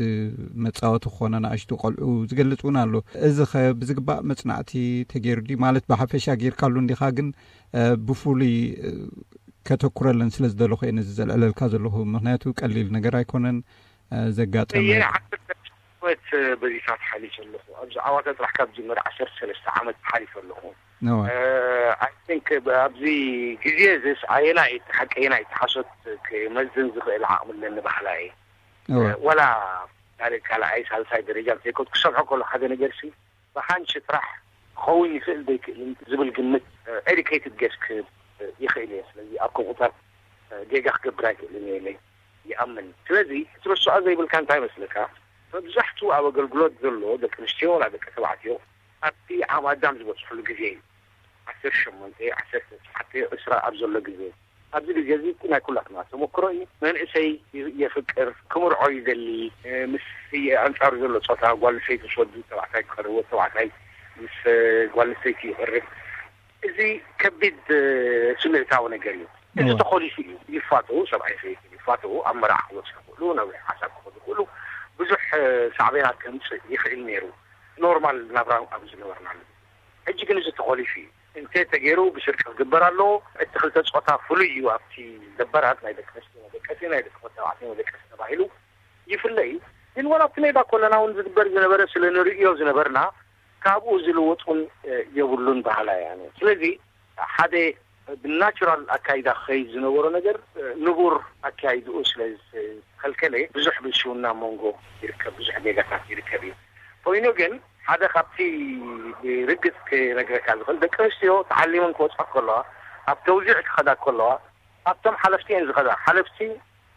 መጻወቲ ክኾና ንኣሽቱ ቆልዑ ዝገልጽ እውን ኣሎ። እዚ ኸ ብዝግባእ መጽናዕቲ ተገይሩ ድዩ? ማለት ብሓፈሻ ጌርካሉ እንዲኻ ግን ብፍሉይ ከተኩረለን ስለ ዝደለኹ እየ ነዚ ዘልዕለልካ ዘለኹ። ምኽንያቱ ቀሊል ነገር ኣይኮነን ዘጋጠመ። ዓመት በዚታት ሓሊፈ ኣለኹ። ኣብዚ ዓዋተ ጥራሕ ካብ ዝጀመረ ዓሰርተ ሰለስተ ዓመት ሓሊፈ ኣለኹ። I think ኣብዚ ግዜ እዚስ ኣየናይ እቲ ሓቂ ኣየናይ እቲ ሓሶት ክመዝን ዝኽእል ዓቕሚ ኣለኒ በሃላይ እየ። ወላ ካልእ ካልኣይ ሳልሳይ ደረጃ ዘይኮት ክሰምዖ ከሎ ሓደ ነገር ሲ ብሓንሺ ጥራሕ ክኸውን ይኽእል ዘይክእልን ዝብል ግምት ኤዱኬትድ ጌስ ክህብ ይኽእል እየ። ስለዚ ኣብ ከምኡታት ጌጋ ክገብር ኣይክእልን እየ ኢለ ይኣምን። ስለዚ ክትርስዖ ዘይብልካ እንታይ መስለካ? መብዛሕትኡ ኣብ ኣገልግሎት ዘሎ ደቂ ኣንስትዮ ወላ ደቂ ተባዕትዮ ኣብቲ ዓቕሚ ኣዳም ዝበፅሕሉ ግዜ እዩ። ዓሰርተ ሸሞንተ ዓሰርተ ትሽዓተ ዕስራ ኣብ ዘሎ ግዜ ኣብዚ ግዜ እዚ እቲ ናይ ኩላትና ተመክሮ እዩ። መንእሰይ የፍቅር፣ ክምርዖ ይደሊ፣ ምስ ኣንጻሩ ዘሎ ጾታ ጓል ኣንስተይቲ ምስ ወዲ ተባዕታይ ክቐርብ፣ ወዲ ተባዕታይ ምስ ጓል ኣንስተይቲ ይቐርብ። እዚ ከቢድ ስምዒታዊ ነገር እዩ። እዚ ተኾሊፉ እዩ። ይፋተዉ፣ ሰብኣይ ሰበይቲ ይፋተዉ፣ ኣብ መርዓ ክወጽኡ ይኽእሉ፣ ናብ ሓሳብ ክኸዱ ይኽእሉ። ብዙሕ ሳዕቤናት ከምጽእ ይኽእል ነይሩ። ኖርማል ናብራ ኣብ ዝነበርናሉ ሕጂ ግን እዚ ተኾሊፉ እዩ። እንተ ተገይሩ ብስርቂ ክግበር ኣለዎ። እቲ ክልተ ጾታ ፍሉይ እዩ። ኣብቲ ደበራት ናይ ደቂ ኣንስትዮ መደቀሲ ናይ ደቂ ተባዕትዮ መደቀሲ ተባሂሉ ይፍለ እዩ። ግን ወላ ኣብቲ ሜዳ ኮለና እውን ዝግበር ዝነበረ ስለ ንርእዮ ዝነበርና ካብኡ ዝልወጡን የብሉን ባህላ እያ። ስለዚ ሓደ ብናቹራል ኣካይዳ ክኸይድ ዝነበሮ ነገር ንቡር ኣካይድኡ ስለ ዝኸልከለ ብዙሕ ብልሽውና መንጎ ይርከብ፣ ብዙሕ ጌጋታት ይርከብ እዩ። ኮይኑ ግን ሓደ ካብቲ ብርግጽ ክነግረካ ዝኽእል ደቂ ኣንስትዮ ተዓሊመን ክወጻ ከለዋ ኣብ ተውዚዕ ክኸዳ ከለዋ ኣብቶም ሓለፍቲ እየን ዝኸዳ። ሓለፍቲ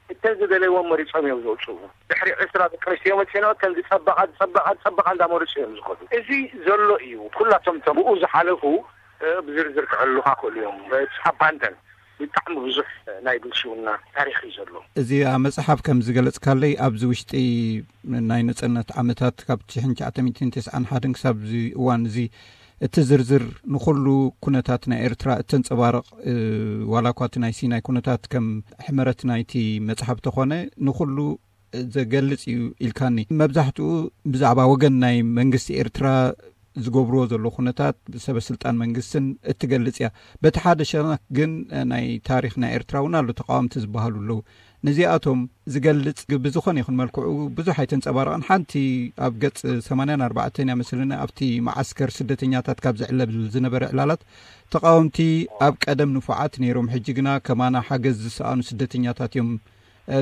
እተን ዝደለይዎም መሪጾም እዮም ዝወጽኡ። ድሕሪ ዕስራ ደቂ ኣንስትዮ መጺኖ እተን ዝጸበቓ ዝጸበቓ ዝጸበቓ እንዳመርጹ እዮም ዝኸዱ። እዚ ዘሎ እዩ። ኩላቶም እቶም ብኡ ዝሓለፉ ብዝርዝር ክዕሉኻ ክእሉ እዮም። ኣባንደን ብጣዕሚ ብዙሕ ናይ ብልሽውና ታሪኽ እዩ ዘሎ። እዚ ኣብ መጽሓፍ ከም ዝገለጽካለይ ኣብዚ ውሽጢ ናይ ነጸነት ዓመታት ካብ ሽሕን ትሽዓተ ሚእትን ተስዓን ሓደን ክሳብ እዚ እዋን እዚ እቲ ዝርዝር ንኹሉ ኩነታት ናይ ኤርትራ እተንጸባርቕ ዋላ እኳ እቲ ናይ ሲናይ ኩነታት ከም ሕመረት ናይቲ መጽሓፍ ተኾነ ንኹሉ ዘገልጽ እዩ ኢልካኒ። መብዛሕትኡ ብዛዕባ ወገን ናይ መንግስቲ ኤርትራ ዝገብርዎ ዘሎ ኩነታት ሰበ ስልጣን መንግስትን እትገልጽ እያ። በቲ ሓደ ሸነኽ ግን ናይ ታሪኽ ናይ ኤርትራ እውን ኣሎ ተቃወምቲ ዝበሃሉ ኣለዉ። ነዚኣቶም ዝገልጽ ብዝኾነ ይኹን መልክዑ ብዙሕ ኣይተንጸባረቐን። ሓንቲ ኣብ ገጽ ሰማንያን ኣርባዕተን እያ መስለኒ ኣብቲ መዓስከር ስደተኛታት ካብ ዝዕለል ዝነበረ ዕላላት ተቃወምቲ ኣብ ቀደም ንፉዓት ነይሮም፣ ሕጂ ግና ከማና ሓገዝ ዝሰኣኑ ስደተኛታት እዮም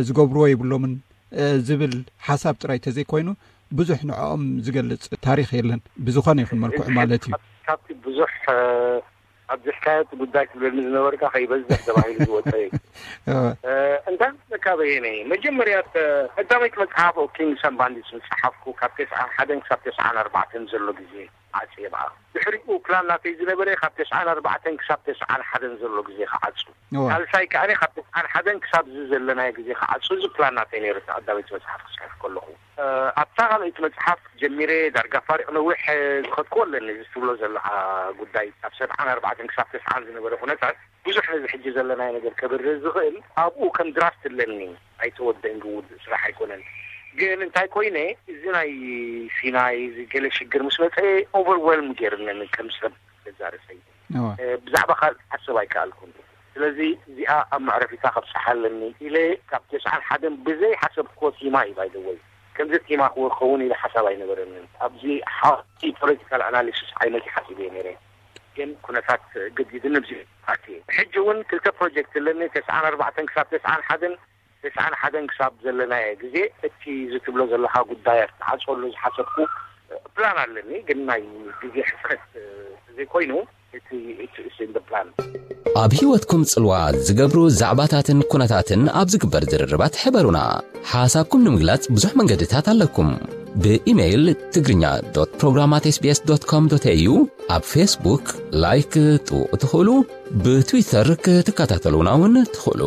ዝገብርዎ የብሎምን ዝብል ሓሳብ ጥራይ ተዘይኮይኑ ብዙሕ ንዕኦም ዝገልጽ ታሪኽ የለን። ብዝኾነ ይኹን መልክዑ ማለት እዩ። ካብቲ ብዙሕ ኣብዚሕካዮ እቲ ጉዳይ ትብለኒ ዝነበርካ ከይበዝሕ ተባሂሉ ዝወፀ እዩ። እንታይ መስለካ በየነ፣ መጀመርያ ቀዳመይቲ መፅሓፍ ኦፍ ኪንግስ ኣንድ ባንዲትስ ዝፀሓፍኩ ካብ ተስዓን ሓደን ክሳብ ተስዓን ኣርባዕተን ዘሎ ግዜ ዓጽየ ብኣ። ድሕሪኡ ፕላን ናተይ ዝነበረ ካብ ተስዓን ኣርባዕተን ክሳብ ተስዓን ሓደን ዘሎ ግዜ ክዓጹ። እዋ። ሳልሳይ ከኣ ካብ ተስዓን ሓደን ክሳብ እዚ ዘለናዮ ግዜ ክዓጹ፣ እዚ ፕላን ናተይ ነይሩ፣ እቲ ቀዳመይቲ መጽሓፍ ክጽሕፍ ከለኹ። እ፣ ኣብታ ካልኣይቲ መጽሓፍ ጀሚረ ዳርጋ ፋሪቕ ነዊሕ፣ እ፣ ዝኸድኩዎ ኣለኒ። እዚ ትብሎ ዘለኻ ጉዳይ ካብ ሰብዓን ኣርባዕተን ክሳብ ተስዓን ዝነበረ ኩነታት ብዙሕ ነዚ ሕጂ ዘለናዮ ነገር ከብርህ ዝኽእል ኣብኡ ከም ድራፍት ኣለኒ። ኣይተወደን ዝውድእ ስራሕ ኣይኮነን። ግን እንታይ ኮይነ፣ እዚ ናይ ሲናይ፣ እዚ ገለ ሽግር ምስ መጸ ኦቨርዌልም ገይርነኒ ከም ሰብ ገዛ ርእሰይ። እዋ። እ፣ ብዛዕባ ካልእ ክሓስብ ኣይከኣልኩን። ስለዚ እዚኣ ኣብ መዕረፊታ ከብጽሓ ኣለኒ ኢለ ካብ ተስዓን ሓደን ብዘይ ሓሰብክዎ ቲማ እዩ ባይደወይ። ከምዚ ቲማ ክኸውን ኢለ ሓሳብ ኣይነበረንን። ኣብዚ ሓቂ ፖለቲካል ኣናሊሲስ ዓይነት ሓሲበ ነይረ። ግን ኩነታት ገዲድኒ ኣብዚ ኣትየ። ሕጂ እውን ክልተ ፕሮጀክት ኣለኒ፣ ተስዓን ኣርባዕተን ክሳብ ተስዓን ሓደን፣ ተስዓን ሓደን ክሳብ ዘለናዮ ግዜ እቲ ዝትብሎ ዘለኻ ጉዳያት ዝሓጸሉ ዝሓሰብኩ ፕላን ኣለኒ። ግን ናይ ግዜ ሕጽረት ዘይኮይኑ እቲ እቲ ፕላን። ኣብ ህይወትኩም ጽልዋ ዝገብሩ ዛዕባታትን ኩነታትን ኣብ ዝግበር ዝርርባት ሕበሩና። ሓሳብኩም ንምግላጽ ብዙሕ መንገድታት ኣለኩም። ብኢሜይል ትግርኛ ዶት ፕሮግራም ኣት ኤስ ቢ ኤስ ዶት ኮም ዶት ኤ ዩ፣ ኣብ ፌስቡክ ላይክ ክትጥውቑ ትኽእሉ፣ ብትዊተር ክትከታተሉና እውን ትኽእሉ።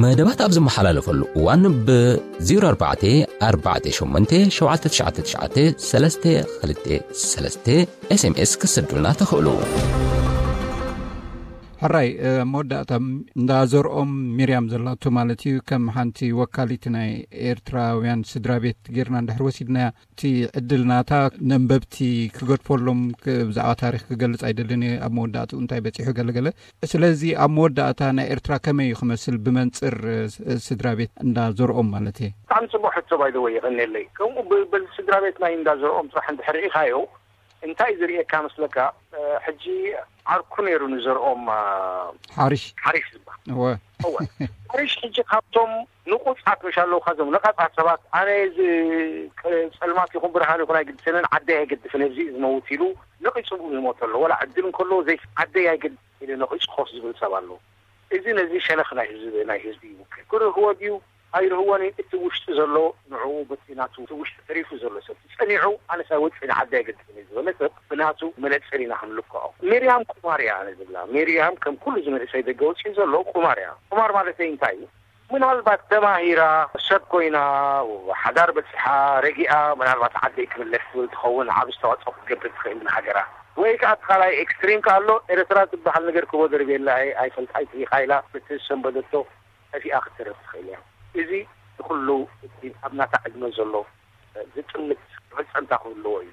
መደባት ኣብ ዝመሓላለፈሉ እዋን ብ ዜሮ ኣርባዕተ ኣርባዕተ ሸሞንተ ሸውዓተ ትሽዓተ ትሽዓተ ሰለስተ ክልተ ሰለስተ ኤስ ኤም ኤስ ክትሰዱልና ትኽእሉ። ሕራይ፣ እ፣ መወዳእታ ም-፣ እንዳ ዘርኦም ሚርያም ዘላቶ ማለት እዩ፣ ከም ሓንቲ ወካሊት ናይ ኤርትራውያን ስድራ ቤት ጌርና እንድሕር ወሲድናያ፣ እቲ ዕድል ናታ ነንበብቲ ክገድፈሎም ክ-፣ ብዛዕባ ታሪኽ ክገልጽ ኣይደልን እየ፣ ኣብ መወዳእትኡ እንታይ በጺሑ ገለገለ። ስለዚ ኣብ መወዳእታ ናይ ኤርትራ ከመይ እዩ ክመስል ብመንጽር፣ እ፣ ስ-፣ ስድራ ቤት እንዳ ዘርኦም ማለት እየ? ብጣዕሚ ጽቡቕ ሕቶ ባይ ዘ ወይ፣ የቐንየለይ። ከምኡ ብ-፣ በዚ ስድራ ቤት ናይ እንዳ ዘርኦም ጥራሕ እንድሕር ርኢኻዮ፣ እንታይ ዝርእየካ መስለካ? እ፣ ሕጂ ዓርኩ ነይሩ ንዘርኦም፣ እ፣ ሓሪሽ። ሓሪሽ ዝበሃል። እወ። እወ። ሓሪሽ ሕጂ ካብቶም ንቑጻት፣ መሽ ኣለውካ፣ እዞም ነቓጻት ሰባት፣ ኣነ እዚ ቅ-፣ ጸልማት ይኹን ብርሃን ይኹን ኣይግድሰንን፣ ዓደይ ኣይገድፍን፣ ኣብዚ እዩ ዝመውት ኢሉ ነቒጹ ብኡ ይሞት ኣሎ። ወላ ዕድል እንከሎ፣ ዘይ-፣ ዓደይ ኣይገድፍን ኢሉ ነቒጹ ኮፍ ዝብል ሰብ ኣሎ። እዚ ነዚ ሸነኽ ናይ ህዝቢ፣ ናይ ህዝቢ ይውክል። ክርህዎ ድዩ ኣይርህዎን እዩ። እቲ ውሽጢ ዘሎ ንዕኡ በቲ ናቱ፣ እቲ ውሽጢ ተሪፉ ዘሎ ሰብ ጸኒዑ፣ ኣነስ ኣይወጽእን፣ ዓዲ ኣይገድፍን እዩ ዝበለ ሰብ ብናቱ መነጽር ኢና ክንልክዖ። ሚርያም ቁማር እያ ኣነ ዝብላ። ሚርያም ከም ኩሉ እዚ መንእሰይ ደገ ወጺኡ ዘሎ ቁማር እያ። ቁማር ማለተይ እንታይ እዩ? ምናልባት ተማሂራ፣ ሰብ ኮይና፣ ሓዳር በጺሓ፣ ረጊኣ፣ ምናልባት ዓደይ ክምለስ ትብል ትኸውን፣ ዓቢ ኣስተዋጽኦ ክትገብር ትኽእል ንሃገራ። ወይ ከኣ እቲ ካልኣይ ኤክስትሪም ከኣ ኣሎ፣ ኤርትራ ትበሃል ነገር ክቦ ደርብየላ እየ፣ ኣይፈልጣ ኣይትሪኻይላ፣ በቲ ዝሰንበደቶ ጠፊኣ ክትተርፍ ትኽእል እያ። እዚ ንኹሉ እቲ ኣብ ናታ ዕድመ ዘሎ ዝጥምት መፈጸምታ ክህልዎ እዩ።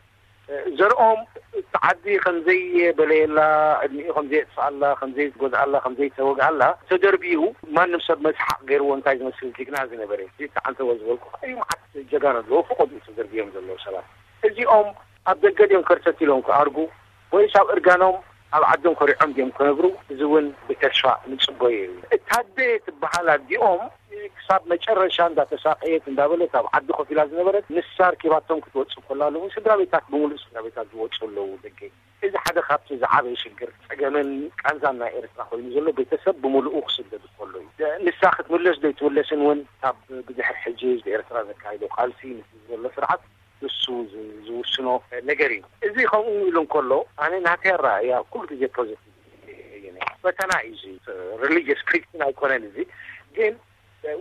ዘርኦም እቲ ዓዲ ከም ዘይበለየላ፣ ዕድሚኡ ከም ዘየጥፍኣላ፣ ከም ዘይጎድኣላ፣ ከም ዘይተወግኣላ ተደርቢዩ፣ ማንም ሰብ መስሓቕ ገይርዎ፣ እንታይ ዝመስል ጅግና ዝነበረ፣ እዚ ተዓንተወ ዝበልኩ እዩ። መዓት ጀጋኑ ኣለዎ፣ ፈቐድኡ ተደርብዮም ዘለዉ ሰባት። እዚኦም ኣብ ደገ ድዮም ከርተት ኢሎም ክኣርጉ፣ ወይስ ኣብ እርጋኖም ኣብ ዓዶም ኮሪዖም ድዮም ክነብሩ? እዚ እውን ብተስፋ ንጽበዮ እዩ። እታ ኣደ ትበሃል ኣዲኦም ክሳብ መጨረሻ እንዳተሳቀየት እንዳበለት ኣብ ዓዲ ኮፍ ኢላ ዝነበረት፣ ንሳ ኣርኪባቶም ክትወጽእ ከላ ኣለዉ። ስድራ ቤታት፣ ብምሉእ ስድራ ቤታት ዝወጹ ኣለዉ ደገ። እዚ ሓደ ካብቲ ዝዓበየ ሽግር፣ ጸገምን ቃንዛን ናይ ኤርትራ ኮይኑ ዘሎ፣ ቤተሰብ ብምሉኡ ክስደድ ከሎ እዩ። ንሳ ክትምለስ ዶ ኣይትምለስን እውን ካብ ብድሕር ሕጂ ህዝቢ ኤርትራ ዘካይዶ ቃልሲ፣ ምስ ዘሎ ስርዓት ንሱ ዝ-፣ ዝውስኖ ነገር እዩ። እዚ ከምኡ ኢሉ እንከሎ፣ ኣነ ናተይ ኣረኣእያ ኩሉ ግዜ ፖዚቲቭ እየ። ፈተና እዩ እዚ። ሪሊጅስ ክሪስቲን ኣይኮነን እዚ፣ ግን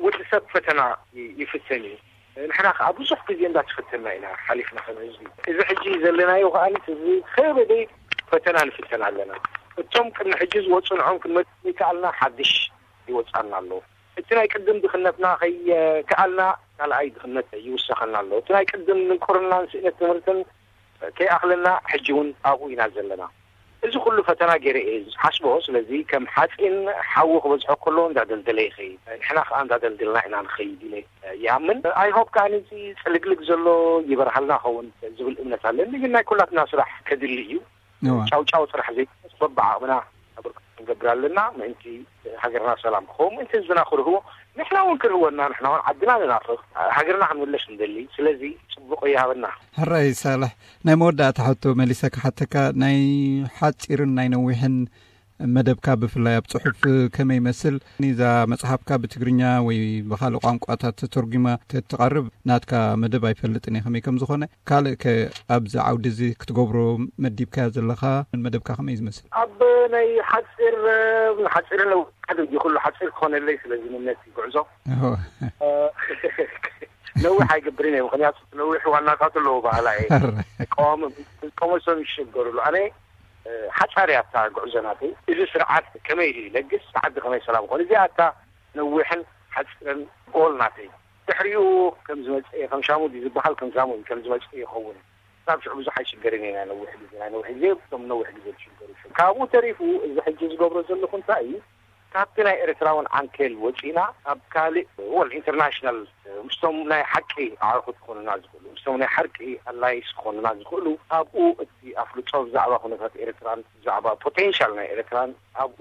ወዲ ሰብ ፈተና ይ-፣ ይፍተን እዩ። ንሕና ከዓ ብዙሕ ግዜ እንዳተፈተና ኢና ሓሊፍና ከም ህዝቢ። እዚ ሕጂ ዘለናዮ ከዓ እዚ ከበደ ፈተና ንፍተን ኣለና። እቶም ቅድሚ ሕጂ ዝወፁ ንዖም ክንመልስ ዘይከኣልና ሓድሽ ይወፃና ኣሎ። እቲ ናይ ቅድም ድኽነትና ከይከኣልና ካልኣይ ድኽነት ይውሰኸና ኣሎ። እቲ ናይ ቅድም ድንቁርናን ስእነት ትምህርትን ከይኣኽለና ሕጂ እውን ኣብኡ ኢና ዘለና። እዚ ኩሉ ፈተና ገይረ እየ ዝሓስቦ። ስለዚ ከም ሓፂን ሓዊ ክበዝሖ ከሎ እንዳደልደለ ይኸይድ፣ ንሕና ከዓ እንዳደልደልና ኢና ንኸይድ ኢለ ይኣምን። ኣይ ሆፕ ከዓ ነዚ ፅልግልግ ዘሎ ይበርሃልና ኸውን ዝብል እምነት ኣለኒ። ግን ናይ ኩላትና ስራሕ ከድሊ እዩ። እዋ። ጫው ጫው ጥራሕ ዘይኮነስ በብዓቕምና ኣበርክቶ ክንገብር ኣለና። ምእንቲ ሃገርና ሰላም ክኸውን፣ ምእንቲ ህዝብና ክርህዎ፣ ንሕና እውን ክርህወና፣ ንሕና እውን ዓድና ንናፍቕ፣ ሃገርና ክንምለስ ንደሊ። ስለዚ ጽቡቕ ይሃበና። ሕራይ ሳልሕ፣ ናይ መወዳእታ ሕቶ መሊሰ ክሓተካ፣ ናይ ሓጺርን ናይ ነዊሕን መደብካ ብፍላይ ኣብ ጽሑፍ ከመይ ይመስል? ንዛ መጽሓፍካ ብትግርኛ ወይ ብኻልእ ቋንቋታት ተተርጒማ ተትቐርብ ናትካ መደብ ኣይፈልጥን እየ ከመይ ከም ዝኾነ። ካልእ ከ ኣብዚ ዓውዲ እዚ ክትገብሮ መዲብካዮ ዘለኻ መደብካ ከመይ እዩ ዝመስል? ኣብ ናይ ሓጺር፣ ሓጺር ነው ሓደ እዩ ኩሉ ሓጺር ክኾነለይ ስለ ዝምነት እዩ ጉዕዞ። ኦሆ። ነዊሕ ኣይገብርን እየ፣ ምኽንያቱ ነዊሕ ዋናታቱ ኣለዎ ባህላ እየ። ሕራይ። ዝቃወም-፣ ዝቃወሞ ሰብ ይሸገሩሉ። ኣነ ሓጻር እያ እታ ጉዕዞ ናተይ። እዚ ስርዓት ከመይ ኢሉ ይለግስ፣ ዓዲ ከመይ ሰላም ይኾን? እዚኣ እታ ነዊሕን ሓጺርን ጎል ናተይ። ድሕሪኡ ከም ዝመጽእ እየ፣ ከም ሻሙ ድዩ ዝበሃል፣ ከም ሻሙ ከም ዝመጽእ ይኸውን። ካብ ሽዑ ብዙሕ ኣይሽገርን እየ፣ ናይ ነዊሕ ግዜ፣ ናይ ነዊሕ ግዜ፣ እቶም ነዊሕ ግዜ ዝሽገሩ ሽዑ። ካብኡ ተሪፉ እዚ ሕጂ ዝገብሮ ዘለኹ እንታይ እዩ? ካብቲ ናይ ኤርትራውን ዓንኬል ወጺና ኣብ ካልእ ወል ኢንተርናሽናል ምስቶም ናይ ሓቂ ኣዕሩኽት ክኾኑና ዝኽእሉ፣ ምስቶም ናይ ሓቂ ኣላይስ ክኾኑና ዝኽእሉ፣ ኣብኡ እቲ ኣፍልጦ ብዛዕባ ኩነታት ኤርትራን ብዛዕባ ፖቴንሻል ናይ ኤርትራን ኣብኡ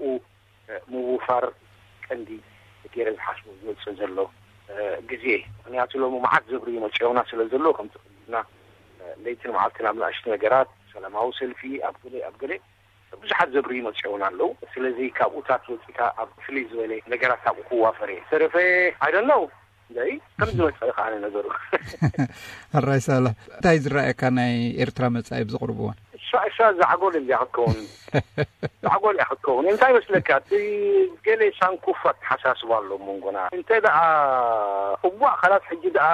ምውፋር ቀንዲ ገይረ ዝሓስቦ ዝመጽእ ዘሎ ግዜ። ምኽንያቱ ሎሚ መዓት ዘብርዩ መጽኦና ስለ ዘሎ ከምቲ ክልና ለይትን መዓልትን ኣብ ንኣሽቱ ነገራት ሰላማዊ ሰልፊ ኣብ ገለ ኣብ ገለ ብዙሓት ዘብርዩ መጽኦና ኣለዉ። ስለዚ ካብኡታት ወጺካ ኣብ ፍልይ ዝበለ ነገራት ኣብኡ ክዋፈር እየ። ተረፈ ኣይደነው እንደይ ከም ዝመጽእ ከዓነ ነገሩ። ሕራይ ሳላ እንታይ ዝረኣየካ ናይ ኤርትራ መጻኢ ኣብዚ ቁርብ እዋን? እሳ እሳ ዛዕጎል እንዲያ ክትከውን ዛዕጎል እያ ክትከውን። እንታይ መስለካ እቲ ገለ ሳንኩፍ ኣተሓሳስባ ኣሎ መንጎና። እንተ ደኣ እዋእ ካላት ሕጂ ደኣ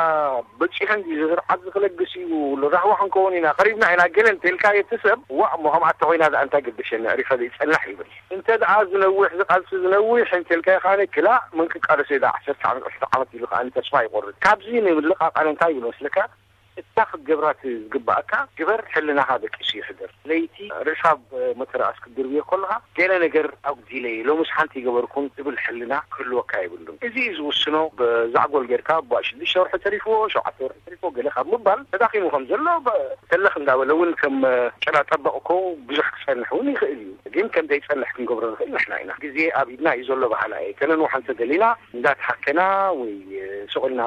በጺሐ እንዲ ዝስርዓት ዝክለግስ እዩ ራህዋ ክንከውን ኢና ቀሪብና ኢና ገለ እንተልካ እቲ ሰብ ዋእ እሞ ከምኣ ተኮይና ደኣ እንታይ ገደሸኒ ኣሪፈ ዘይጸናሕ ይብል። እንተ ደኣ ዝነውሕ ዝቃልሲ ዝነውሕ እንተልካ ይኻነ ክላ መን ክቃለስ እየ ደኣ ዓሰርተ ዓመት ዕስራ ዓመት ኢሉ ከዓ ተስፋ ይቆርጥ። ካብዚ ንምልቃቃል እንታይ ይብል መስለካ? እታ ክትገብራ ዝግባኣካ ግበር፣ ሕልናኻ ደቂሱ ይሕደር። ለይቲ ርእስኻ ኣብ መተርኣስ ክትድርብዮ ከለኻ ገለ ነገር ኣጉዲለ እየ፣ ሎምስ ሓንቲ ይገበርኩን ዝብል ሕልና ክህልወካ የብሉን። እዚ እዩ ዝውስኖ። ብዛዕጎል ጌርካ ባ ሽዱሽተ ወርሒ ተሪፍዎ፣ ሸውዓተ ወርሒ ተሪፍዎ ገለ ካብ ምባል ተዳኺሙ ከም ዘሎ ብ-፣ ተለኽ እንዳበለ እውን ከም ጨና ጠበቕ እኮ ብዙሕ ክጸንሕ እውን ይኽእል እዩ። ግን ከም ዘይጸንሕ ክንገብሮ ንኽእል ንሕና ኢና። ግዜ ኣብ ኢድና እዩ ዘሎ በሃላ እየ። ከነንውሖ እንተደሊና እንዳተሓከና ወይ ስቕ ኢልና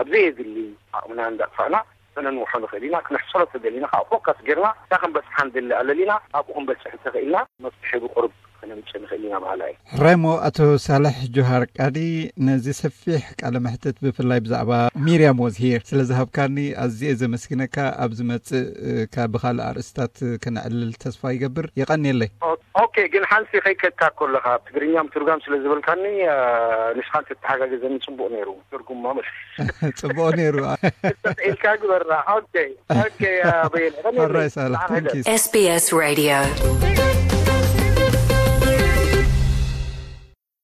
ኣብ ዘየድሊ ዓቕምና እንዳጥፋእና ከነንውሖ ንኽእል ኢና። ክነሕሰሮ ተደሊና ከዓ ፎካስ ጌርና እታ ክንበጽሓ ንደሊ ኣለሊና ኣብኡ ክንበጽሕ እንተኽኢልና መፍትሒ ብቁርብ ከነምጽእ ንኽእል ኢና በሃላ እየ። ሕራይ እሞ ኣቶ ሳልሕ ጆሃር ቃዲ ነዚ ሰፊሕ ቃለ መሕትት ብፍላይ ብዛዕባ ሚርያም ወዝ ሂር ስለ ዝሃብካኒ ኣዝየ ዘመስግነካ። ኣብ ዝመጽእ እ፣ ካ ብኻልእ ኣርእስታት ከነዕልል ተስፋ ይገብር። የቐንየለይ። ኦ-፣ ኦኬ፣ ግን ሓንቲ ከይከድካ ከለኻ ትግርኛ ምትርጓም ስለ ዝበልካኒ እ፣ ንስኻ እንተተሓጋገዘኒ ጽቡቕ ነይሩ። ትርጉም ማለት ጽቡቕ ነይሩ። ኢልካ ግበራ። ኦኬ፣ ኦኬ፣ ያ በየነ። ሕራይ ሳልሕ፣ thank you። SBS Radio.